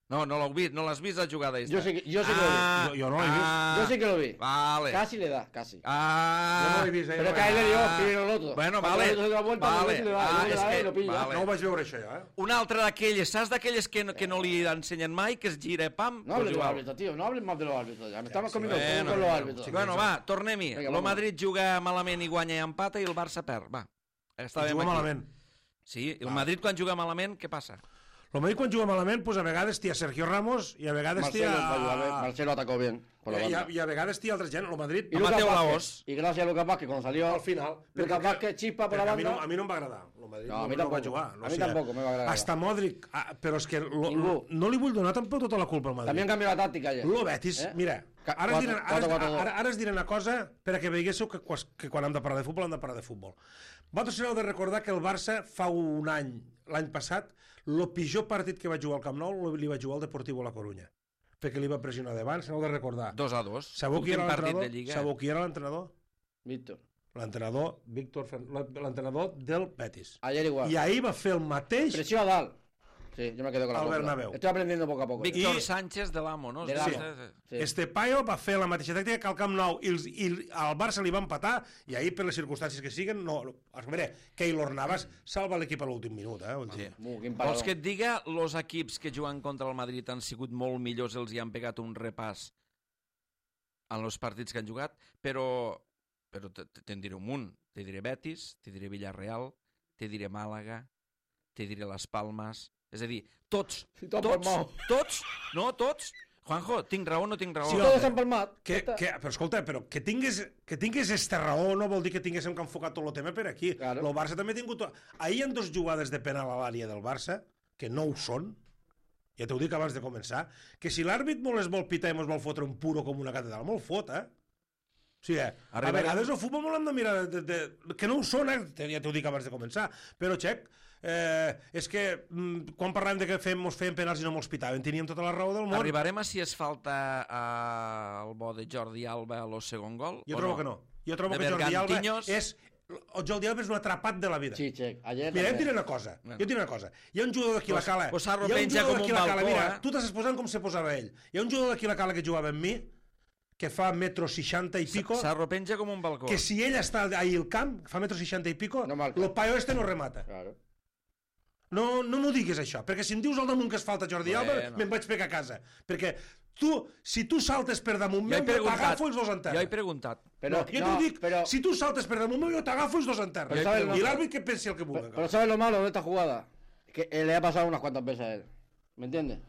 No, no l'has vist, no l'has vist la jugada esta. Yo sí que, yo sí que lo vi. Ah, Jo- jo no l'he vist. ah, Yo sí que lo vi. Vale. Casi le da, casi. Ah. Jo no l'he vist, eh? Pero que a él le dio primero el otro. Bueno, Cuando vale. el otro se da vuelta, Vale. el otro le da, Ah, el otro le és da que- y lo pilla. vale. No ho vaig veure, això, ja, eh? Un altre d'aquelles, saps d'aquelles que, no, que no li ensenyen mai, que es gira, pam? No hables pues de los igual. árbitros, tío. No hables más de los árbitros. Ya me estamos comiendo bueno, con los árbitros. Bueno, va, tornem-hi. Vinga, El vamos. Madrid juga malament i guanya i empata i el Barça perd. Va, estàvem Juga aquí. malament. Sí, el Madrid quan juga malament, què passa? El Madrid quan juga malament, pues, a vegades té a Sergio Ramos i a vegades té Marcelo, a... va ayudar, ¿ves? Marcelo atacó bien por la I a, banda. i a vegades té altra gent. El Madrid, Y a Lucas Mateo Vázquez. Laos. Y gracias a Lucas Vázquez cuando salió. al final... Lucas perquè- Vázquez chispa por la perquè a mi, no, banda. a mi no em va agradar. El Madrid No, a mi no, tampoco. va jugar. No A mi sé. tampoco me va agradar. Hasta Modric... Ah, però és que lo, Ningú. lo, no li vull donar tampoc tota la culpa al Madrid. También cambió la táctica ayer. Lo Betis, Eh? mira, Ca- ara es, quatre- diré, ara, quatre, quatre, dos. ara, ara es diré una cosa per a que veiéssiu que, quas- que quan hem de parlar de futbol hem de parlar de futbol. Vosaltres heu de recordar que el Barça fa un any, l'any passat, el pitjor partit que va jugar al Camp Nou li va jugar al Deportivo La Coruña, perquè li va pressionar davant, se n'heu de recordar. Dos a dos. Sabeu qui Últim era partit de l'entrenador? Lliga. Sabeu qui era l'entrenador? Víctor. L'entrenador, Víctor Fer... l'entrenador del Betis. Ayer igual. I ahir va fer el mateix... Presión a Dal. Sí, yo me quedo con la Al copla. Bernabéu. Estoy aprendiendo poco a poco. Víctor I- Sánchez de l'Amo, no? De Sí. l'Amo. Sí. Este paio va fer la mateixa tàctica que al Camp Nou i, els, i al Barça li va empatar i ahir per les circumstàncies que siguen no, a veure, Keylor Navas salva l'equip a l'últim minut, eh? Vull dir. Uh, quin Vols parador. que et diga, els equips que juguen contra el Madrid han sigut molt millors, els hi han pegat un repàs en els partits que han jugat, però, però te- te- te'n diré un munt. Te diré Betis, te diré Villarreal, te diré Màlaga, te diré Las Palmas... És a dir, tots, Si t'ho han tots, palmao. tots, no, tots... Juanjo, tinc raó o no tinc raó? Sí, Si home. todos han palmat. Que, ja està. que, però escolta, però que tingués, que tingués esta raó no vol dir que tinguéssim que enfocar tot el tema per aquí. Claro. El Barça també ha tingut... Ahir hi ha dos jugades de penal a l'àrea del Barça, que no ho són, ja t'ho dic abans de començar, que si l'àrbit molt es vol pitar i mos vol fotre un puro com una catedral, molt fot, eh? O sigui, eh, a Arribarem- vegades el futbol molt hem de mirar de, de, de, que no ho són, eh? Ja t'ho dic abans de començar, però xec, eh, és que mm, quan parlàvem de que fem, mos feien penals i no mos pitaven, teníem tota la raó del món. Arribarem a si es falta eh, el bo de Jordi Alba a lo segon gol? Jo o trobo que no. Jo trobo De que Jordi Alba Bergantiños. és... El Jordi Alba és un atrapat de la vida. Sí, check. Ayer Mira, jo et también. diré una cosa. Bueno. Jo et diré una cosa. Hi ha un jugador d'aquí la Pues- cala. pues Sarro hi ha un penja jugador com d'aquí un la cala. balcó, Mira, eh? tu t'estàs posant com se posava ell. Hi ha un jugador d'aquí la cala que jugava amb mi, que fa metro seixanta i pico, S'arropenja com un balcó. que si ell està ahí al camp, fa metro seixanta i pico, No marca. el paio este no remata. Claro. No, no m'ho diguis això, perquè si em dius al damunt que es falta Jordi Alba, Bueno. me'n vaig pegar a casa. Perquè tu, si tu saltes per damunt Jo he meu, jo preguntat, t'agafo els dos en terra. jo he preguntat. Pero, no, jo no, t'ho dic, pero, si tu saltes per damunt meu, jo t'agafo els dos en terra. Però sabes, no- I l'àrbit que pensi el que vulgui. pero ¿sabes lo malo de esta jugada? Que eh, le ha pasado unas cuantas veces a él. ¿Me entiendes?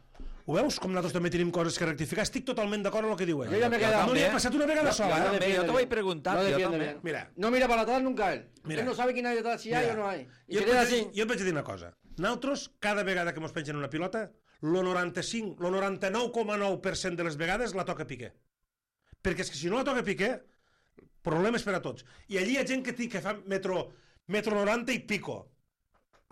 Ho veus? Com nosaltres també tenim coses que rectificar. Estic totalment d'acord amb el que diu ell. Jo ja m'he quedat- No li ha també. passat una vegada sola, no eh? També, jo defiende t'ho he bien. preguntat, No jo defiende també. bien. Mira. No mira para atrás nunca él. Mira. Él no sabe quién hay detrás, si hay Mira, o no hay. Y Jo se et, queda vaig, así. jo et vaig dir una cosa. Nosaltres, cada vegada que mos pengen una pilota, el noranta-cinc, el noranta-nou coma nou per cent de les vegades la toca Piqué. Perquè és que si no la toca Piqué, problemes per a tots. I allí hi ha gent que, té, que fa metro, metro noranta i pico.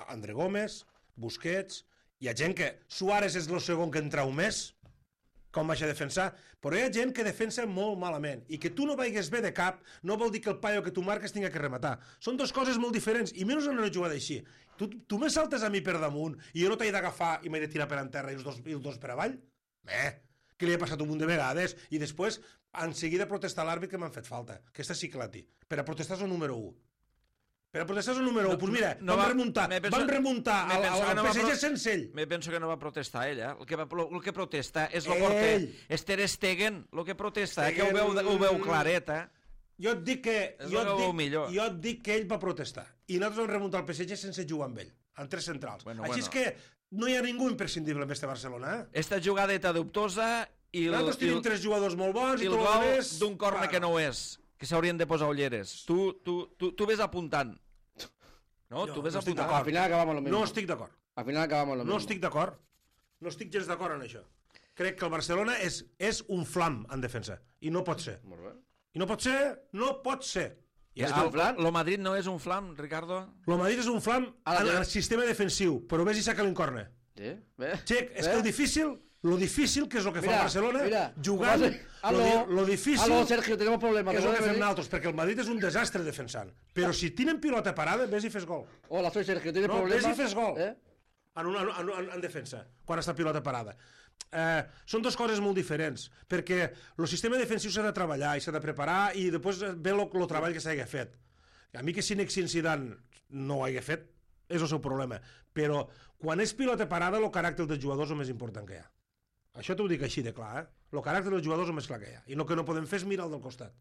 André Gómez, Busquets, hi ha gent que... Suárez és el segon que en trau més, com vaig a defensar, però hi ha gent que defensa molt malament, i que tu no vaigues bé de cap no vol dir que el paio que tu marques tinga que rematar. Són dues coses molt diferents, i menys en una jugada així. Tu, tu me saltes a mi per damunt i jo no t'he d'agafar i m'he de tirar per en terra i els dos, i els dos per avall? Bé, que li ha passat un munt de vegades, i després en seguida protestar l'àrbit que m'han fet falta. Aquesta sí que la té. Per a protestar és el número u. Per a protestar és el número u. Doncs pues mira, no van va- remuntar, me penso- van remuntar me al, penso al, que al no va P S G pro- sense ell. Me penso que no va protestar ell, eh? El que, va, el que protesta és Ell. el porter. És Ter Stegen, el que protesta, eh? Que ho Stegen- veu, ho veu claret, eh? Jo et dic que, És jo el et que veu dic, millor. jo et dic que ell va protestar. I nosaltres vam remuntar el P S G sense jugar amb ell, en tres centrals. Bueno, Així bueno. és que no hi ha ningú imprescindible en este Barcelona, eh? Esta jugadeta dubtosa i el, Nosaltres i tenim el, tres jugadors molt bons i i el tot el gol rest... d'un corne que no ho és, que s'haurien de posar ulleres. Tu, tu, tu, tu ves apuntant. No, Jo tu ves no estic apuntant. d'acord. Al final acabamos lo mismo. No estic d'acord. Al final acabamos lo mismo. No estic d'acord. No estic gens d'acord en això. Crec que el Barcelona és, és un flam en defensa. I no pot ser. Molt bé. I no pot ser, no pot ser. I Ja, és el, el, flam? lo Madrid no és un flam, Ricardo? el Madrid és un flam Ara, en ja. el sistema defensiu, però ves i saca l'incorne. Sí, ¿ves? Xec, és ¿Ves? que el difícil, lo difícil que és el que fa Mira, el Barcelona, mira, jugant, lo que pasa- lo, Aló, di- lo difícil aló, Sergio, tenemos problemas. és ¿te el que puedes fem venir? nosaltres, perquè el Madrid és un desastre defensant. Però si tenen pilota parada, ves i fes gol. Hola, soy Sergio, ¿tienes No, problemas? ves i fes gol. ¿Eh? En, una, en, en, en defensa, quan està pilota parada. Eh, són dues coses molt diferents, perquè el sistema defensiu s'ha de treballar i s'ha de preparar i després ve el treball que s'ha fet. A mi que Zinedine Zidane no ho hagi fet és el seu problema, però quan és pilota parada el caràcter dels jugadors és el més important que hi ha. Això t'ho dic així de clar, eh? El caràcter dels jugadors és el més clar que hi ha, i el que no podem fer és mirar el del costat.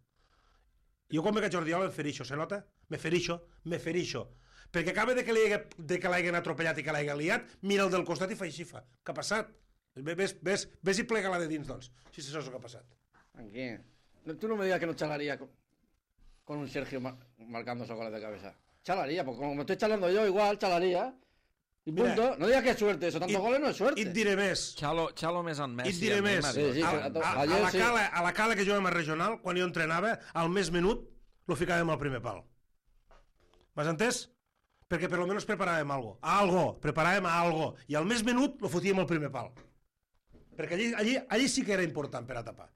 Jo quan veig a Jordi Alba em ferixo, se nota? Me ferixo, me ferixo, perquè acaba de que l'hagin atropellat i que l'hagin liat, mira el del costat i fa així, fa. Què ha passat? Ves, ves, ves i plega-la de dins, doncs, si això és el que ha passat. Aquí. Tú no me digas que no chalaría con, con un Sergio mar, marcando esos goles de cabeza. Chalaría, porque como me estoy chalando yo, igual chalaría. Y punto. Mira, no digas que es suerte, eso, tantos goles no es suerte. I et diré més. Xalo, Xalo més en Messi. I et diré més. Sí, sí, a, a, a, la cala, a la cala que jugàvem a regional, quan jo entrenava, al més menut lo ficàvem al primer pal. M'has entès? Perquè per lo menos preparàvem algo. Algo, preparàvem algo. I al més menut lo fotíem al primer pal. Perquè allí, allí, allí sí que era important per a tapar.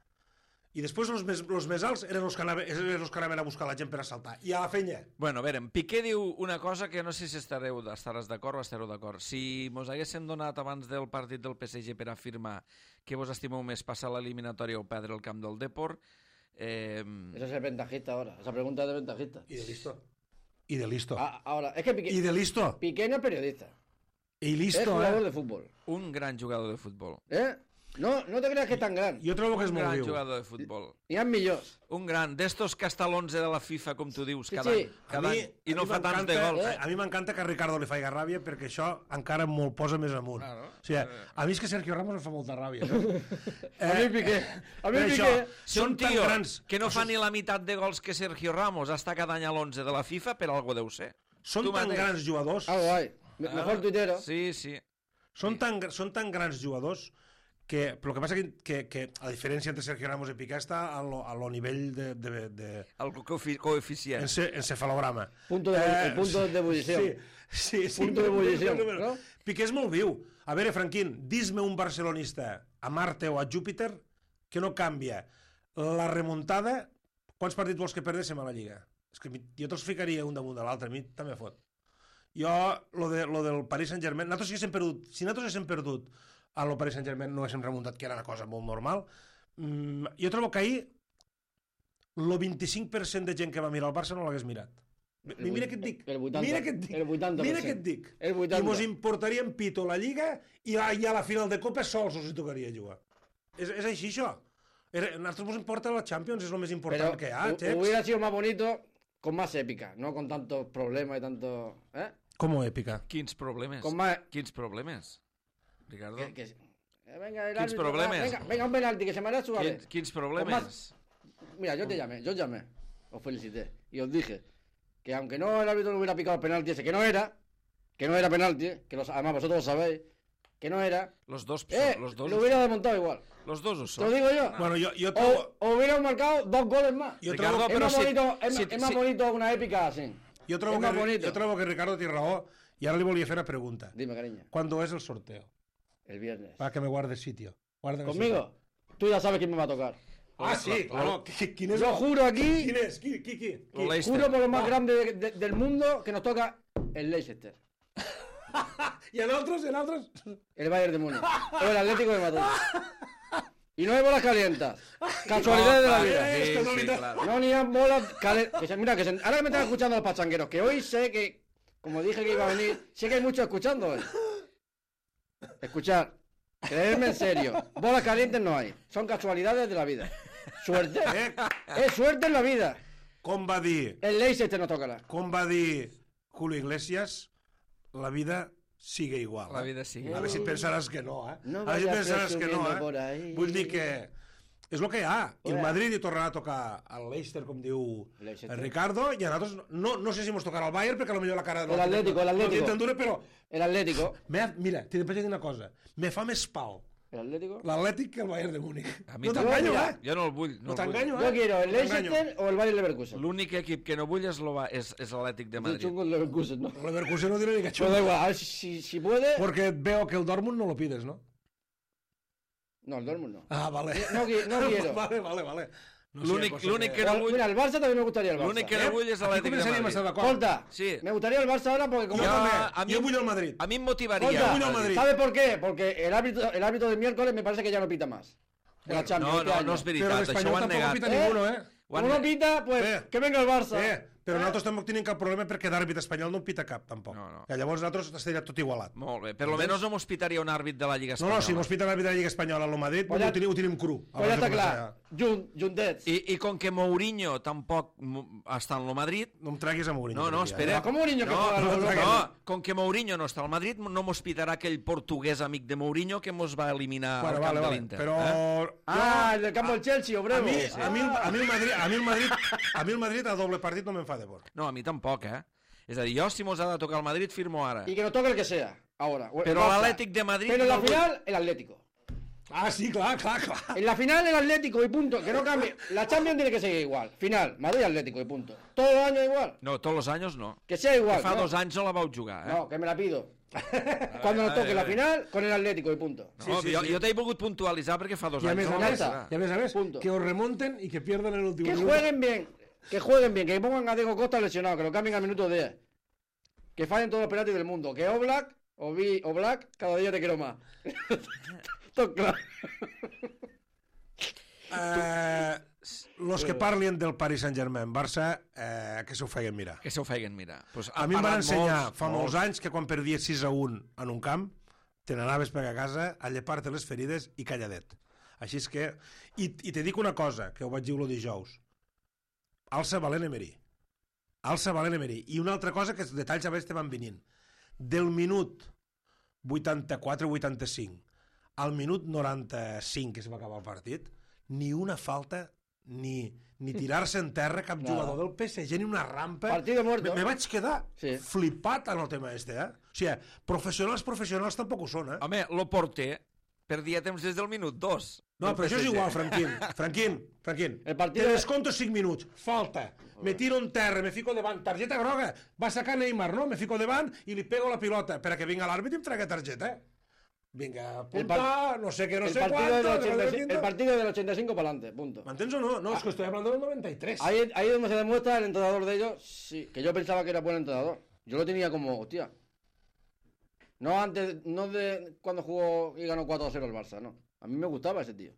I després els més, els més alts eren els, que anaven, eren els que anaven a buscar la gent per assaltar. I a la fenya. Bueno, a veure, Piqué diu una cosa que no sé si estareu, estaràs d'acord o estareu d'acord. Si mos haguessin donat abans del partit del P S G per afirmar que vos estimeu més passar l'eliminatòria o perdre el camp del Depor... Eh... Ese es el ventajista ahora. Esa pregunta es de ventajista. I de listo. I de listo. Ah, ahora, es que Piqué... I de listo. Piqué no es periodista. I listo, es jugador eh? de fútbol. Un gran jugador de futbol. ¿Eh? No, no te creas que es tan gran. Jo trobo que és Un molt gran viu. jugador de futbol. N'hi ha millors. Un gran, d'estos que està a l'onze de la FIFA, com tu dius, Sí, cada sí. any. Cada A mi- any. I a no mi fa tants de m'encanta- gols. eh, A mi m'encanta que a Ricardo li faci ràbia perquè això encara me'l posa més amunt. Claro. O sigui, a mi és que Sergio Ramos em fa molta ràbia. No? A mi Piqué. A mi per Piqué. això, Si un són tan tio grans, que no fa ni la meitat de gols que Sergio Ramos està cada any a l'onze de la FIFA, per algo deu ser. són Tu tan mateix. grans jugadors, Algo hay. Me- Mejor tuitero. Sí, sí. són tan, són tan grans jugadors que, però el que passa que, que, que a diferència entre Sergio Ramos i Piqué està a lo, a lo nivell de, de, de El coefi- coeficient. ence, encefalograma. Punto de, el punto de ebullición. Sí, sí, sí. Punto de ebullición, Però- no? Piqué és molt viu. A veure, Franquín, dis-me un barcelonista a Marte o a Júpiter que no canvia la remuntada. Quants partits vols que perdéssim a la Lliga? És que mi- jo te'ls ficaria un damunt de l'altre, a mi també fot. Jo, lo, de, lo del Paris Saint-Germain, nosaltres haguéssim perdut, si nosaltres haguéssim perdut a lo Paris Saint-Germain no haguéssim remuntat, que era una cosa molt normal, mm, jo trobo que ahir el vint-i-cinc per cent de gent que va mirar el Barça no l'hagués mirat. Mi- Mira què et dic. El vuitanta, Mira què et dic. el vuitanta per Mira cent. què et dic. El vuitanta. I mos importaria en pito la Lliga i a, i a la final de Copa sols us hi tocaria jugar. És, és així, això. Era, a nosaltres mos importa la Champions, és el més important Pero que hi ha, hu- Chex. hubiera sido más bonito con más épica, no con tantos problemas y tantos... ¿Eh? Com èpica. Quins problemes? Con más... Quins problemes? Ricardo? Que, que... eh, venga, el Quins árbitro, problemes? va, Venga, venga, un penalti que se me hará su Quins, quins problemes? Mira, yo te llamé, yo os llamé, os felicité y os dije que aunque no el árbitro no hubiera picado el penalti ese, que no era, que no era penalti, que los, además vosotros lo sabéis, que no era, Los dos, eh, los dos, lo hubiera desmontado igual. los dos ho Te són. lo digo yo. Bueno, jo, jo trobo... O, o hubiera marcado dos goles más. Jo Ricardo, trobo, es pero más si- bonito, es, si- más- es más si- bonito una épica así. jo, trobo es más que, bonito. jo trobo que Ricardo té raó i ara li volia fer una pregunta. Dime, cariño, ¿Cuándo es el sorteo? el viernes. Para que me guarde sitio. Guárdame ¿Conmigo? Tú ya sabes quién me va a tocar. sitio. Ah, sí, claro. Qui- Quin és Yo el- juro aquí, Quin és? Qui, qui, qui? Lo qui? Leicester. juro por lo más grande de- de- del mundo que nos toca el Leicester, I en altres, i en altres? el Bayern de Múnich o el Atlético de Madrid. Y no hay bolas calientas. Casualidades de la vida. Eh, Sí, esto no sí, me- claro. No, ni hay bolas calientes. Mira, que se- ahora que me están escuchando los pachangueros, que hoy sé que, como dije que iba a venir, sé que hay muchos escuchando hoy. Escuchar, creerme en serio. Bolas calientes no hay. Son casualidades de la vida. Suerte. Eh, Es suerte en la vida. com va dir, El Leicester nos tocará. com va dir Julio Iglesias, la vida sigue igual. La eh? vida sigue A veure si et pensaràs que no, eh? No a veure si et vayas pensaràs que no, presumiendo por eh? ahí. Vull dir que és el que hi ha. I el Oye. Madrid hi tornarà a tocar al Leicester, com diu Leicester. el Ricardo, i a nosaltres no, no sé si mos tocarà el Bayern, perquè potser la cara... El Atlético, el Atlético. No tinc tan dura, però... El Atlético. Me, mira, t'he de dir una cosa. Me fa més pal El Atlético. l'Atlètic que el Bayern de Múnich. A mi No també. t'enganyo, mira, eh? Jo no el vull. No No el vull. t'enganyo, Yo eh? quiero el No t'enganyo. Leicester o el Bayern Leverkusen. L'únic equip que no vull és, l'Ova- és, és l'Atlètic de Yo Madrid. chungo el Leverkusen, ¿no? El Leverkusen no tiene ni que Pero da igual, a ver si, si, si puede... Porque veo que el Dortmund no lo pides, ¿no? No, el Dortmund no. Ah, vale. No qui- no quiero. Vale, vale, vale. L'únic l'únic que no O- vull... Mira, el Barça también me gustaría el Barça. L'únic que no vull és Aquí l'Atlètic de començaríem a estar Madrid. d'acord. Escolta, Sí. me gustaría el Barça ahora porque como... Jo Ja, també, a mi- jo vull el Madrid. A mi em motivaria. Escolta, vull el Madrid. ¿Sabe por qué? Porque el árbitro, el árbitro del miércoles me parece que ya no pita más. En la Champions No, este no, año. no és Però veritat, això l'Espanyol ho han tampoc negat. pita Eh? ninguno, eh? Ho han Como no negat. pita, pues Eh. que venga el Barça. Eh, però nosaltres tampoc tenim cap problema perquè d'àrbit espanyol no en pita cap, tampoc. No, no. Que llavors nosaltres estaria tot igualat. Molt bé, per lo menos no mos pitaria un àrbit de la Lliga No, Espanyola. no, si mos pita l'àrbit de la Lliga Espanyola a lo Madrid, Pues ho, ja- tenim, ho tenim cru. Pues ya abans de está començar claro. Jun, Jundets. I, I com que Mourinho tampoc mo- està en lo Madrid... No em treguis a Mourinho. No, no, aquí, espera. Ah, com Mourinho que no, juega no, al no, Europa? no, com que Mourinho no està al Madrid, no mos pitarà aquell portuguès amic de Mourinho que mos va eliminar Bueno, al vale, camp vale. de l'Inter. Però... Eh? Ah, el del campo del Chelsea, A Obrevo. mi, a, mi, a, mi el Madrid, a, mi el Madrid, a mi el Madrid a doble partit no me'n fa de por. No, a mi tampoc, eh? És a dir, jo si mos ha de tocar el Madrid, firmo ara. Y que nos toque el que sea. Ahora. O- Però Barça. l'Atlètic de Madrid... Pero en la no vull- final, el Atlético. Ah, sí, clar, clar, clar. En la final, el Atlético y punto. Que no cambie. La Champions tiene que seguir igual. Final, Madrid Atlético y punto. Todos los años igual. No, tots els anys no. Que sea igual. Que fa ¿no? dos anys no la vau jugar, eh? No, que me la pido. Cuando nos toque la final, con el Atlético y punto. No, Sí, sí, jo, sí. jo t'he volgut puntualitzar perquè fa dos I a anys més no a la més, vas Punto. jugar. i a més, a més Punto. que os remonten i que pierden en el últim Que minut. jueguen bien. Que jueguen bien. Que pongan a Diego Costa lesionado. Que lo cambien al minuto diez. Que fallen todos los penaltis del mundo. Que Oblak, o, Vi, o Black, cada día te quiero más. Todo claro. Eh, los que parlin del Paris Saint-Germain, Barça, eh, que s'ho feien mirar. Que s'ho feien mirar. Pues A mi em van ensenyar fa molts anys que quan perdies sis a un en un camp, te n'anaves per a casa a llepar-te les ferides i calladet. Així és que... I, i te dic una cosa, que ho vaig dir el dijous. Alça Valent Emery. Alça Valent Emery. I una altra cosa que els detalls a vegades te van venint. Del minut vuitanta-quatre vuitanta-cinc al minut noranta-cinc que se va acabar el partit, ni una falta, ni, ni tirar-se en terra cap No. jugador del P S G, ni una rampa. Partido muerto. Me, me vaig quedar Sí. flipat en el tema este, eh? O sigui, professionals, professionals tampoc ho són, eh? Home, lo porter perdia temps des del minut dos. No, del però això és P S G. igual, Franquín. Franquín, Franquín. El partido Te de- desconto cinc minuts. Falta. Me tiro en terra, me fico davant. Targeta groga. Va sacar Neymar, no? Me fico davant i li pego la pilota per a que vinga l'àrbit i em tregui targeta. Vinga, punta, par- no sé què, no el, sé partido quanto. del que ochenta y no sé cinco, el quinto. partido del ochenta y cinco para adelante, punto. ¿M'entens o no? No, es que estoy hablando del noventa y tres. Ahí, ahí es donde se demuestra el entrenador de ellos, sí, que yo pensaba que era buen entrenador. Yo lo tenía como, hostia. No antes, no de cuando jugó y ganó cuatro a cero el Barça, no. A mí me gustaba ese tío.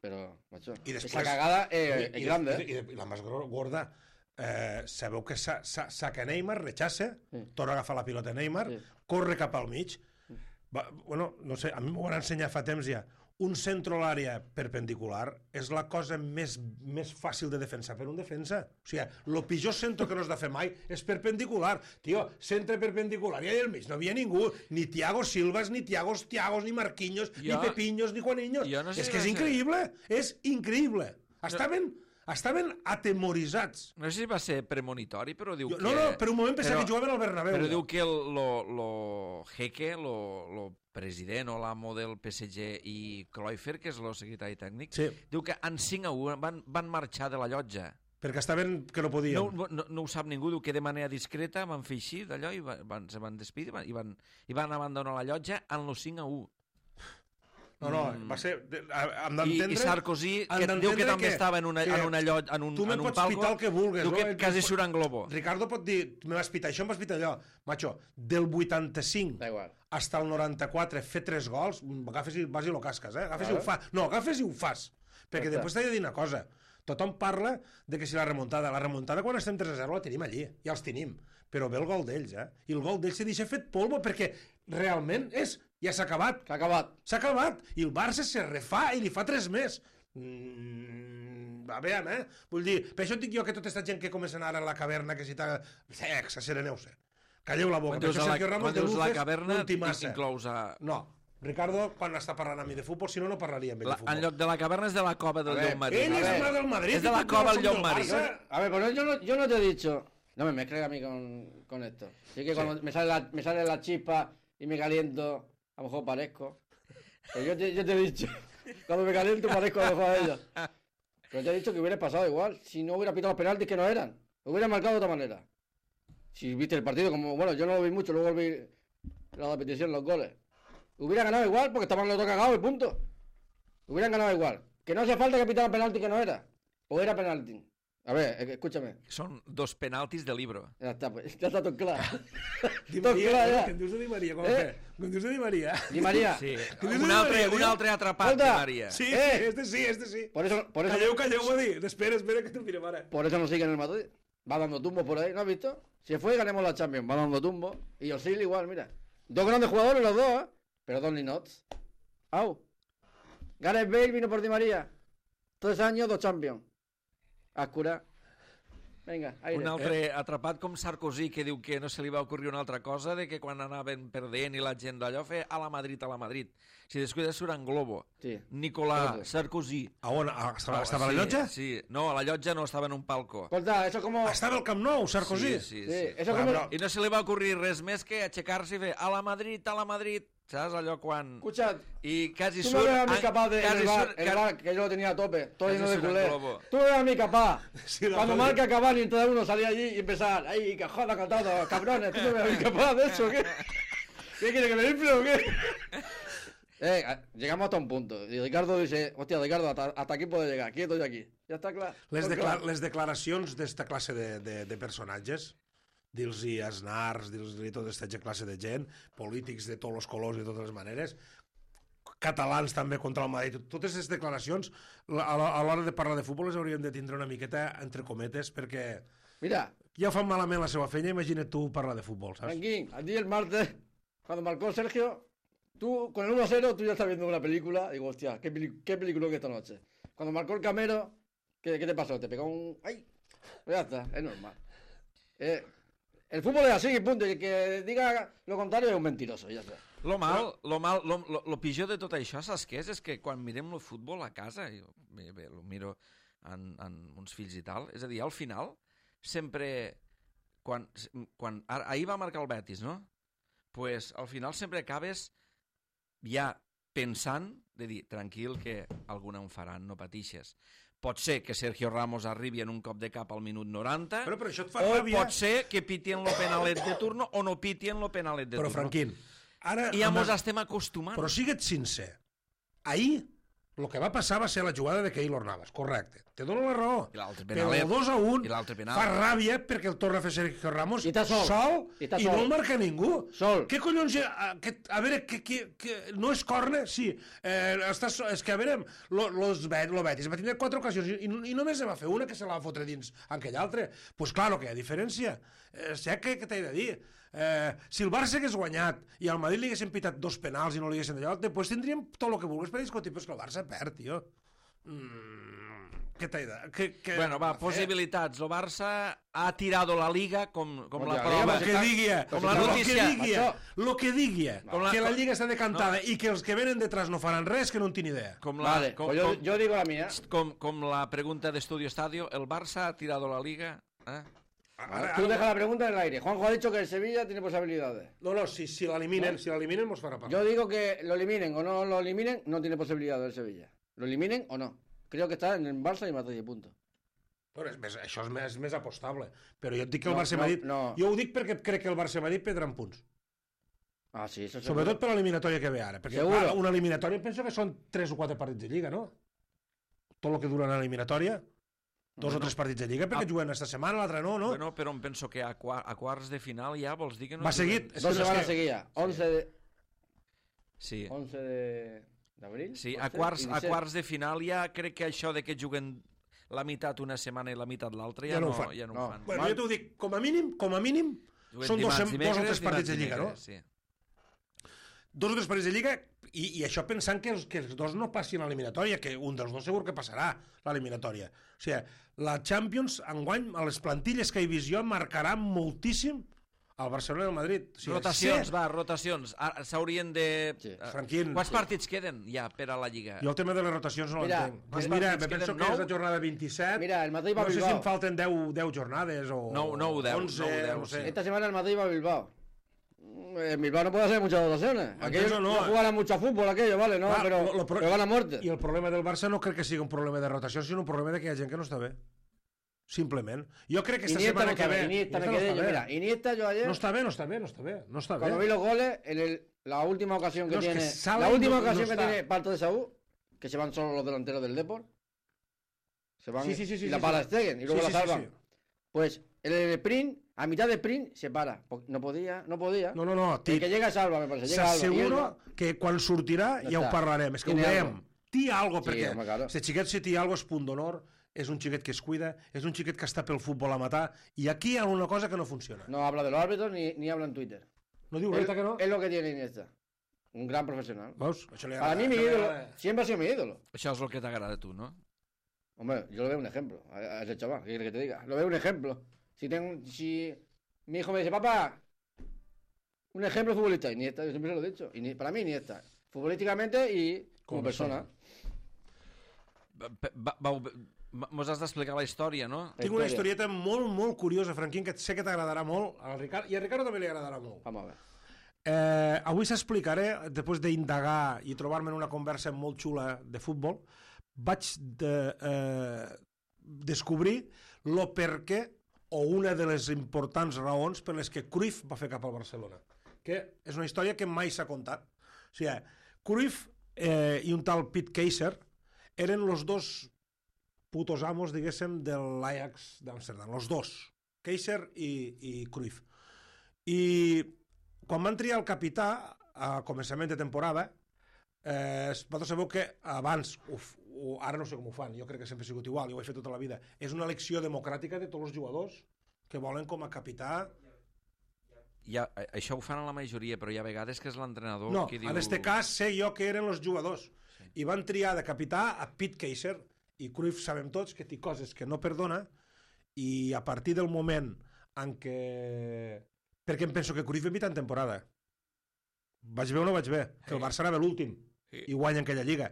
Pero, macho, I després- esa cagada eh, I, es i, grande. i, eh. i, i la més gro- gorda, eh, sabeu que sa, sa, saca Neymar, rechaça, Sí. torna a agafar la pilota Neymar, Sí. corre cap al mig. Va, bueno, no sé, a mi m'ho van ensenyar fa temps ja. Un centre a l'àrea perpendicular és la cosa més, més fàcil de defensar per un defensa. O sigui, el pitjor centre que no has de fer mai és perpendicular. Tio, centre perpendicular, i allà al mig no havia ningú, ni Thiago Silvas, ni Thiago Thiagos, ni Marquinhos, Jo- ni Pepiños, ni Juaniños. jo no sé és si que és va ser- increïble, és increïble. Estaven, estaven atemoritzats. No sé si va ser premonitori, però diu Jo, que... no, no, per un moment pensava però- que jugaven al Bernabéu. Però ja. diu que el, lo, lo Jeque, lo, lo president o l'amo del P S G i Cruyff, que és el secretari tècnic, Sí, diu que en cinc a u van, van marxar de la llotja. perquè estaven que no podien. No, no, no ho sap ningú, diu que de manera discreta van fer així d'allò i van, van, se van despedir i van, i van, i van abandonar la llotja en los cinc a u. No, no, va ser... Hem I, d'entendre... I Sarkozy, han que diu que d'entendre també que- estava en una, que en una llotja, en un, tu me en un pots palco, pitar el que vulgues, diu no? que Et quasi pots- surt en globo. Ricardo pot dir, me vas pitar això, em vas pitar allò. Macho, del vuitanta-cinc Da igual. hasta el noranta-quatre, fer tres gols, agafes i vas i lo casques, eh? Agafes Claro. i ho fas. No, agafes i ho fas. Perquè Ja està. després t'he de dir una cosa. Tothom parla de que si la remuntada... La remuntada quan estem tres a zero la tenim allí, ja els tenim. Però ve el gol d'ells, eh? I el gol d'ells se deixa fet polvo perquè realment és... Ja s'ha acabat. Que ha acabat. S'ha acabat. I el Barça se refà i li fa tres més. Mm, a veure, eh? Vull dir, per això et dic jo que tota aquesta gent que comencen ara a la caverna, que si t'ha... Sex, sereneu-se. Calleu la boca. Quan Per dius això a la, Sergio Ramos quan de dius la Luces caverna, no en té massa. inclous a... No. Ricardo, quan està parlant amb mi de futbol, si no, no parlaria amb ell La, de futbol. en lloc de la caverna és de la cova del A ver, Llop Marí. Ell és A ver, el del Madrid. és de i la tu cova som al Llop del Marí. Barça. A ver, pero yo no, yo no te he dicho. No me mezcles a mí con, con esto. Sí que cuando me, sale la, me sale la chispa y me caliento, a lo mejor parezco. Pero yo te, yo te he dicho, cuando me caliento parezco a lo mejor a ella. Pero te he dicho que hubiera pasado igual, si no hubiera pitado los penaltis que no eran. Lo hubiera marcado de otra manera. Si viste el partido, como, bueno, yo no lo vi mucho, luego vi la repetición, los goles. Hubiera ganado igual porque estaban los dos cagados y punto. Hubieran ganado igual. Que no hacía falta que pitaran penalti que no era. o era penalti. A ver, eh, escúchame. Són dos penaltis de libro. Ya está, pues, ya está tot clar. Di tot Maria, clar, eh? ja. Que em dius de Di Maria, com Eh? eh? Que em dius de Di Maria. Di María. Sí, Que dius un de altre, Maria, un tio? altre atrapat de Escolta. Maria. Sí, Eh? sí, este sí, este sí. Por eso, por eso, Calleu, calleu, va dir. Espera, espera, que te diré, mare. por eso no sigue en el Madrid. Va dando tumbos por ahí, ¿no has visto? Si fue, ganemos la Champions. Va dando tumbos. Y Osil igual, mira. Dos grandes jugadores los dos, ¿eh? Pero dos Linots. Au. Gareth Bale vino por Di María. Tres años, dos Champions. Ascura. Vinga, aire. Un altre atrapat com Sarkozy, que diu que no se li va ocorrir una altra cosa, de que quan anaven perdent i la gent d'allò feia a la Madrid, a la Madrid. Si descuida surt en globo. Sí. Nicolà Sarkozy. Sarkozy. A on? A, estava, estava a sí, la llotja? Sí, no, a la llotja no, estava en un palco. Escolta, eso como... Estava al Camp Nou, Sarkozy? Sí, sí, Sí, sí. eso Bueno, como... però- I no se li va ocorrir res més que aixecar-se i fer a la Madrid, a la Madrid. Saps allò quan... Escucha, I quasi tú surt... me ves a mí ah, capaz de... En quasi el bar, surt- en el bar, que yo lo tenía a tope, todo Casi lleno de surt en culé. globo. Tú me ves a mí capaz. Sí, la Cuando joder. marca Cavani, entonces uno salía allí y empezar, ¡ay, que joda cantado, cabrones! ¿Tú me ves a mí capaz de eso, qué? ¿Qué quiere que me infle o qué? Eh, a- llegamos hasta un punto. Y Ricardo dice, hostia, Ricardo, hasta, hasta aquí puedo llegar, quieto y aquí. Ya está claro. Les, Tot decla clar. les declaracions d'esta classe de, de, de personatges, dir-los-hi Aznars, dir-los-hi tota aquesta classe de gent, polítics de tots els colors i de totes les maneres, catalans també contra el Madrid, totes aquestes declaracions, la- a l'hora a l'hora de parlar de futbol les hauríem de tindre una miqueta entre cometes, perquè Mira, ja fan malament la seva feina, imagina't tu parlar de futbol, saps? Franquín, a ti el martes, cuando marcó Sergio, tú con el uno a cero, tú ya estás viendo una película, digo, hostia, qué, peli qué película que esta noche. Cuando marcó el Camero, ¿qué, qué te pasó? ¿Te pegó un...? ¡Ay! Pues ya está, es normal. Eh, el fútbol es así, y punto, y el que diga lo contrario es un mentiroso, ya está. Lo mal, lo, mal lo, lo, lo pitjor de tot això, saps què és? És que quan mirem el futbol a casa, jo bé, bé, lo miro en, en uns fills i tal, és a dir, al final, sempre, quan, quan ara, ahir va marcar el Betis, no? Pues al final sempre acabes ja pensant de dir, tranquil, que alguna en faran, no patixes. Pot ser que Sergio Ramos arribi en un cop de cap al minut noranta, Però, però això et fa o ràbia. pot ser que pitien lo penalet de turno o no pitien lo penalet de Però, turno. Franquín, ara... I ja amb mos el- estem acostumant. Però sigue't sincer. Ahir, el que va passar va ser la jugada de Keylor Navas, correcte. Te dono la raó. I l'altre Però penalet. el dos a un I l'altre penal. fa ràbia perquè el torna a fer Sergio Ramos I està sol. sol I està i sol. no el marca ningú. Sol. Què collons... A, que, a veure, que, que, que no és corna? Sí. Eh, està, so- és que, a veure, lo, los, Bet- lo Betis va tindre quatre ocasions i, i només se va fer una que se la va fotre dins en aquell altre. Doncs pues, clar, que hi ha diferència. Eh, sé que, que t'he de dir. Eh, si el Barça hagués guanyat i al Madrid li haguessin pitat dos penals i no li haguessin d'allò, després tindríem tot el que vulguis per discutir, però és que el Barça perd, tio. Mm, què t'he de... Que, que, Bueno, va, possibilitats. El Barça ha tirado la Liga com, com la Hòstia, prova. Lo que digui, Com la lo notícia. que digui, Macho. lo que digui, Com la- que la Lliga està decantada i que els que venen detrás no faran res, que no en tinc idea. Com la, Vale, com, pues yo, com, yo digo la mía. com, com la pregunta de Estudio Estadio, el Barça ha tirado la Liga. Eh? Ara, Tú ara, deja la pregunta en el aire. Juanjo ha dicho que el Sevilla tiene posibilidades. no, no, si, si l'eliminen, si l'eliminen mos farà parlar. Yo digo que lo eliminen o no lo eliminen, no tiene posibilidades el Sevilla. Lo eliminen o no. Creo que está en el Barça y Madrid, punto. Però és més, això és més, més apostable. Però jo et dic que el No, Barça no, Madrid... no. Jo ho dic perquè crec que el Barça Madrid perdran punts. Ah, sí, eso Sobretot per l'eliminatòria que ve ara. Perquè Seguro. clar, una eliminatòria penso que són tres o quatre partits de Lliga, no? Tot el que dura l'eliminatòria. Dos Bueno, o tres partits de Lliga, perquè ah. juguen esta setmana, l'altra no, no? Bueno, però em penso que a, qua, a quarts de final ja vols dir que no... Va juguen. seguit. És Dos que no és semanas que- seguidas. once de, Sí. once de, de abril. Sí, once a quarts, y a disset. quarts de final ja crec que això de que juguen la meitat una setmana i la meitat l'altra ja, Ja no no, ho fan. ja no, No. ho fan. Bueno, Mal. jo t'ho dic, com a mínim, com a mínim, Juguen són dos, dimarts, sem- dos o dimecres, tres partits de dimarts, Lliga, no? dimecres, Sí. Dos o tres partits de Lliga, i, i això pensant que els, que els dos no passin a l'eliminatòria, que un dels dos segur que passarà l'eliminatòria. O sigui, la Champions, enguany, a les plantilles que he vist jo, marcarà moltíssim el Barcelona i el Madrid. O sigui, Rotacions, sé- va, rotacions. Ara S'haurien de... Sí. eh, Franquín, Quants sí. partits queden ja per a la Lliga? Jo el tema de les rotacions no Mira, l'entenc. Pues quants mira, partits me penso queden? que és Nou? la jornada vint-i-set. Mira, el Madrid va a no sé si Bilbao. em falten deu, deu jornades o... Nou, nou, deu, onze, nou, deu, no sé. sí. Esta semana el Madrid va a Bilbao. Mm, En Bilbao no puede hacer muchas dotaciones. Aquellos Eso no, no. jugarán mucho a fútbol, aquello, vale, no, Clar, pero, lo- lo pro- pero van a muerte. I el problema del Barça no crec que sigui un problema de rotació, sinó un problema de que hi ha gent que no està bé. Simplement. Jo crec que esta Iniesta setmana no que está ve... bien, Iniesta me no quedé està yo, bé. mira, Iniesta yo ayer, No està bé, no està bé, no està bé. No està cuando bé. vi los goles, en el, la última ocasión que No, es que tiene, Sala la última no- no ocasión que está. tiene Parto de Saúl, que se van solo los delanteros del Depor, Se van Sí, sí, sí, sí, y la sí, para sí. Stegen y luego Sí, la sí, sí, salvan. sí. Pues el, el sprint, a mitad de sprint, se para. Po- No podía, no podía. No, no, no. El que llega salva, me parece. Llega Alba. I ell S'asseguro no. que quan sortirà No ja ho està. parlarem. És que ho Tiene veiem. algo. Té algo, Sí, perquè home, claro. este xiquet si té algo és punt d'honor, és un xiquet que es cuida, és un xiquet que està pel futbol a matar, i aquí hi ha una cosa que no funciona. No habla de los árbitros ni, ni habla en Twitter. No diu Él- res que no? Es lo que tiene Iniesta. Un gran profesional. Veus? Això li Para agrada, mí, mi això li ídolo. agrada. Siempre ha sido mi ídolo. Això és el que t'agrada a tu, no? Hombre, yo lo veo un ejemplo. A, a ese chaval, ¿qué quieres que te diga? Lo veo un ejemplo. Si tengo, si mi hijo me dice, papá, un ejemplo futbolista, Iniesta, yo siempre se lo he dicho. Ini- para mí, Iniesta. Futbolísticamente y como, Como persona. Va- va- vau- Mos has d'explicar la història, no? Tinc una Història. historieta molt, molt curiosa, Franquín, que sé que t'agradarà molt, al Ricard, i al Ricardo també li agradarà molt. Vamos a ver. Eh, avui s'explicaré, després d'indagar i trobar-me en una conversa molt xula de futbol, vaig de, eh, descobrir lo per què o una de les importants raons per les que Cruyff va fer cap al Barcelona. Que és una història que mai s'ha contat. O sigui, Cruyff eh, i un tal Pete Keiser eren els dos putos amos, diguéssim, de l'Ajax d'Amsterdam, els dos, Keiser i, i Cruyff. I quan van triar el capità a començament de temporada, eh, vosaltres sabeu que abans, uf, o, ara no sé com ho fan, jo crec que sempre ha sigut igual, jo ho he fet tota la vida, és una elecció democràtica de tots els jugadors que volen com a capità. Ja, això ho fan a la majoria, però hi ha vegades que és l'entrenador No, qui diu... en este cas sé jo que eren els jugadors. I van triar de capità a Pete Keiser, i Cruyff sabem tots que té coses que no perdona, i a partir del moment en què... Perquè em penso que Cruyff ve en temporada. Vaig bé o no vaig bé? Que el Barça anava l'últim i guanya aquella lliga.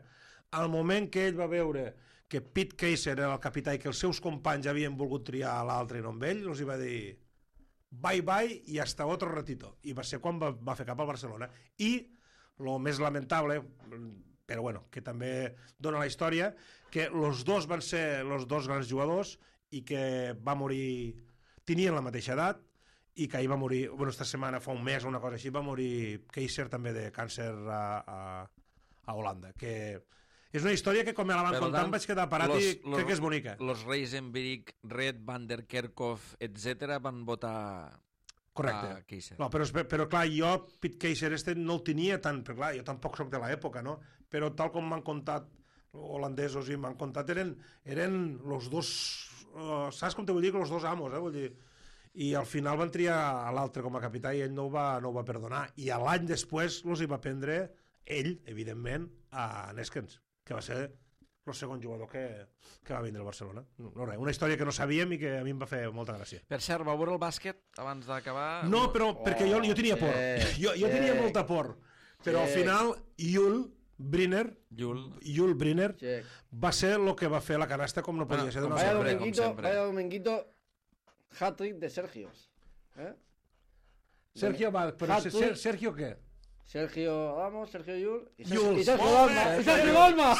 Al moment que ell va veure que Pete Keiser era el capità i que els seus companys havien volgut triar a l'altre i no amb ell, els hi va dir bye bye i hasta otro ratito. I va ser quan va, va fer cap al Barcelona. I el més lamentable, però bueno, que també dona la història, que els dos van ser els dos grans jugadors i que va morir, tenien la mateixa edat, i que ahir va morir, bueno, esta setmana, fa un mes o una cosa així, va morir Keiser també de càncer a, a, a Holanda, que és una història que com me la van Per contar tant, em vaig quedar parat los- i los- crec que és bonica. Los Reisenbrink, Red, Van der Kerkhoff, etcètera van votar Correcte. a Keiser. No, però, però clar, jo Pete Keiser este no el tenia tant, però clar, jo tampoc sóc de l'època, no? Però tal com m'han contat holandesos i m'han contat, eren, eren los dos, uh, saps com te vull dir? Que los dos amos, eh? Vull dir, i al final van triar a l'altre com a capità i ell no ho va, no ho va perdonar. I l'any després els hi va prendre ell, evidentment, a Neskens, que va ser el segon jugador que, que va vindre al Barcelona. No, no res, una història que no sabíem i que a mi em va fer molta gràcia. Per cert, va veure el bàsquet abans d'acabar? No, però perquè jo, jo tenia por. sí, Jo, jo tenia sí. molta por. Però al Sí. final, Yul Brynner, Jul. Yul Brynner Sí. va ser el que va fer la canasta com no podia Bueno, ser d'una com Vaya altra sempre, manera. dominguito, sempre. vaya dominguito, hat-trick de Sergio. ¿Eh? Sergio va, però Hat-trick. Ser- Sergio què? Sergio Vamos, Sergio Yul y Sergio, Yul. y Sergio Molt Dalma. bé, ¡Y Sergio Yul. Dalma!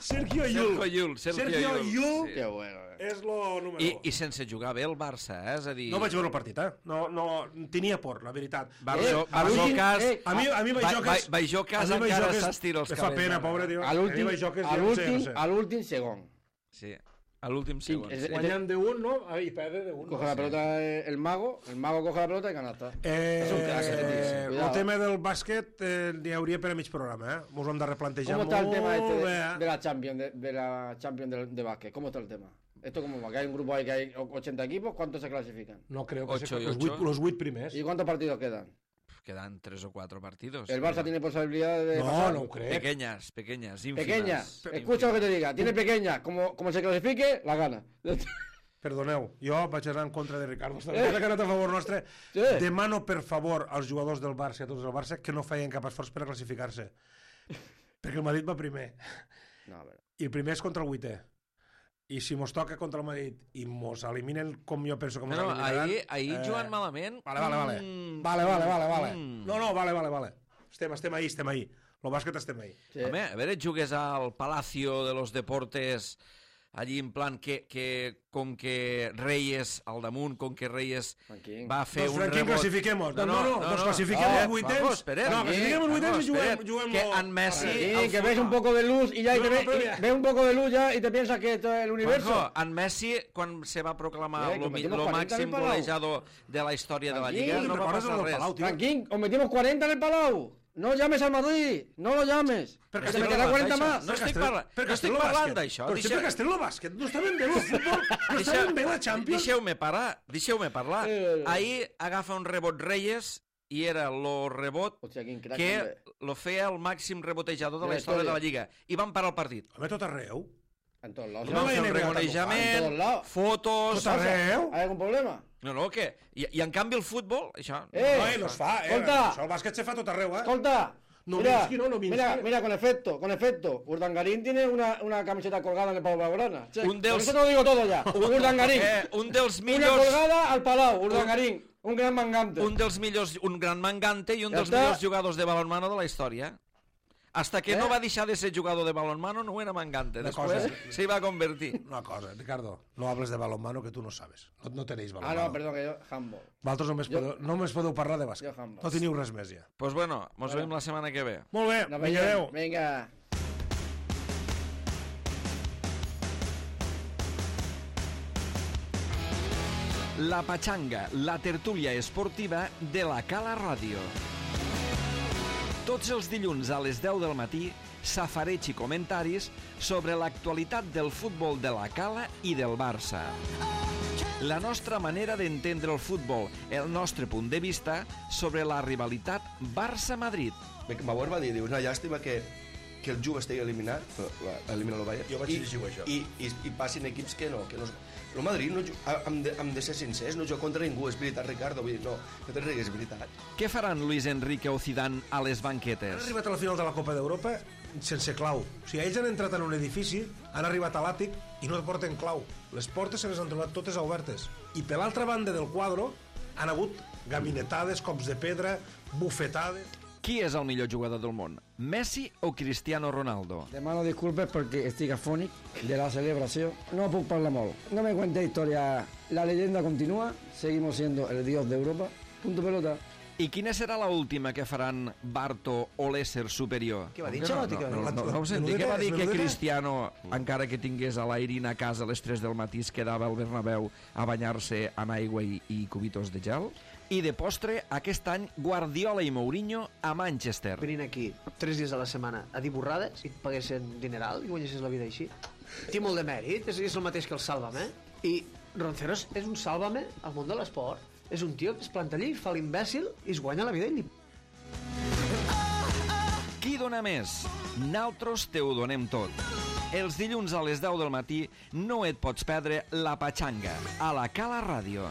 Sergio Sergio Yul. Yul. Sergio Sergio Yul. Yul. Sí. Qué bueno. eh. És lo número I, un. I sense jugar bé el Barça, eh? És a dir... No vaig veure el partit, eh? No, no, tenia por, la veritat. Barjo, Eh, a l'últim- Barjocas... eh, A mi, a mi Bajocas... Ba- Bajocas a mi encara Bajocas s'estira els me fa cabells, pena, ara. pobre, tio. A l'últim, A mi Bajocas a ja no sé, l'últim, no sé. a l'últim segon. Sí, a l'últim Sí, segon. és- Sí. Guanyant de un, no? Ah, I perde de un. Coge la pelota eh, el mago, el mago coge la pelota y canasta. Eh, És un crac, aquest tio, sí. el Cuidado. tema del bàsquet eh, n'hi hauria per a mig programa, eh? Mos ho hem de replantejar ¿Cómo está el molt tema este de, bé, eh? de la Champions, de, de la Champions de, de básquet? ¿Cómo está el tema? ¿Esto cómo va? Que hay un grupo ahí que hay ochenta equipos, ¿cuántos se clasifican? No creo que Ocho sea y los ocho. vuit, los vuit primers. ¿Y cuántos partidos quedan? Quedan tres o cuatro partidos. ¿El Barça tiene posibilidad de No, pasar? no ho crec. Pequeñas, pequeñas, ínfimas. Pequeñas. ínfimas. Escucha lo que te diga. Tiene pequeñas. Como, como se clasifique, la gana. Perdoneu, jo vaig anar en contra de Ricardo. Està eh? que ha anat a favor nostre. Sí. Demano, per favor, als jugadors del Barça i a tots del Barça que no feien cap esforç per a classificar-se. Perquè el Madrid va primer. No, a ver. I el primer és contra el vuitè. I si mos toca contra el Madrid i mos eliminen com jo penso que mos No, no, eliminaran... ahir, ahir eh, jugant malament... Vale, vale, vale. Mm, Vale, vale, vale, vale. mm. No, no, vale, vale, vale. Estem, estem ahí, estem ahí. El bàsquet estem ahí. Sí. Home, a veure, jugues al Palacio de los Deportes allí en plan que, que com que Reyes al damunt, com que Reyes Franquín. va fer Doncs un Franquín, rebot... classifiquem-nos. No, no, no, doncs classifiquem no, els vuitens. vamos, espera. No, classifiquem els vuitens i juguem, Espera, juguem que lo- en Messi... Sí, el que ves futbol- un poco de luz y ya y No, te no, ve, pero y mira. ves un poco de luz ya y te piensas que esto es el universo. Juanjo, en Messi, quan se va proclamar Eh, que lo, metimos lo cuarenta en el màxim Palau. golejador de la història de la Tranquil, Lliga, ¿Te no va recuerdas passar lo del res. Palau, tío? Franquín, os metimos cuarenta en el Palau. No llames al Madrid, no lo llames. Perquè Que se estem me queda parlant cuarenta d'això. más. No estic Castel- parlant- per no estic Castelló parlant Bàsquet. d'això. Però Deixa- sempre Castelló Bàsquet. No està ben bé el futbol. No està ben bé la Champions. Deixeu-me parar, deixeu-me parlar. Eh, eh, eh. Ahir agafa un rebot Reyes i era lo rebot Hòstia, quin crac, que també. lo feia el màxim rebotejador de De la la història de història. la Lliga. I van parar el partit. Home, tot arreu. En todos lados. No Van la fer un N B A reconeixement, en todos lados. fotos... Tot arreu. ¿Hay algún problema? No, no, què? I, I en canvi el futbol, això... Eh, No, no es fa, eh? escolta. Això el bàsquet se fa tot arreu, eh? Escolta. No mira, Minsky, no, no Minsky. mira, mira, con efecto, con efecto. Urdangarín tiene una, una camiseta colgada en el Palau Blaugrana. Che, Un dels- Con eso te lo digo todo ya. Urdangarín. Eh, un dels Una millors... colgada al Palau, Urdangarín. Un gran mangante. Un dels millors... Un gran mangante i un Ja dels està. millors jugadors de balonmano de la història. Hasta que Eh? no va deixar de ser jugador de balonmano no era mangante. Una Després cosa. se va convertir. Una cosa, Ricardo, no hables de balonmano que tu no sabes. No, no tenéis Ah, balonmano. no, perdón, que yo, handball. Vosaltres només Jo- podeu, només podeu parlar de bàsquet. Jo handball. No teniu res més ja. Pues bueno, mos veiem la setmana que ve. Molt bé, Nos vinga, vemos. adeu. Venga. La Pachanga, la tertúlia esportiva de la Cala Ràdio. Tots els dilluns a les deu del matí, safareig i comentaris sobre l'actualitat del futbol de la Cala i del Barça. La nostra manera d'entendre el futbol, el nostre punt de vista sobre la rivalitat Barça-Madrid. Bauer va dir, diu, una llàstima que, que el Juve estigui eliminat, elimina el Bayern, Jo vaig i, llegir això. i, i, i passin equips que no, que no... El Madrid, no, ju- hem, de, hem de ser sincers, no juga contra ningú, és veritat, Ricardo, vull dir, no, no te rigues, és veritat. Què faran Luis Enrique o Zidane a les Han banquetes? arribat a la final de la Copa d'Europa sense clau. O sigui, ells han entrat en un edifici, han arribat a l'àtic i no porten clau. Les portes se les han trobat totes obertes. I per l'altra banda del quadre han hagut gabinetades, cops de pedra, bufetades... Qui és el millor jugador del món? Messi o Cristiano Ronaldo? Demano disculpes porque estic afònic de la celebración. No puc parlar molt. No me cuente historia. La leyenda continúa. Seguimos siendo el dios de Europa. Punto pelota. I quina serà la última que faran Barto o l'ésser superior? Què va dir, No, Xalotti, no, què va no, dir? no, no, no ho senti. Menudeta, Què va dir que menudeta? Cristiano, encara que tingués a l'Airin a casa a les tres del matí, es quedava al Bernabéu a banyar-se amb aigua i, i cubitos de gel? I de postre, aquest any, Guardiola i Mourinho a Manchester. Venint aquí tres dies a la setmana a dir borrades i et paguessin dineral i guanyessis la vida així. Té molt de mèrit, és, és el mateix que el Sálvame. I Ronceros és un Sálvame al món de l'esport. És un tio que es planta allí, fa l'imbècil i es guanya la vida ell. Qui dona més? Naltros te ho donem tot. Els dilluns a les deu del matí no et pots perdre La Pachanga a la Cala Ràdio.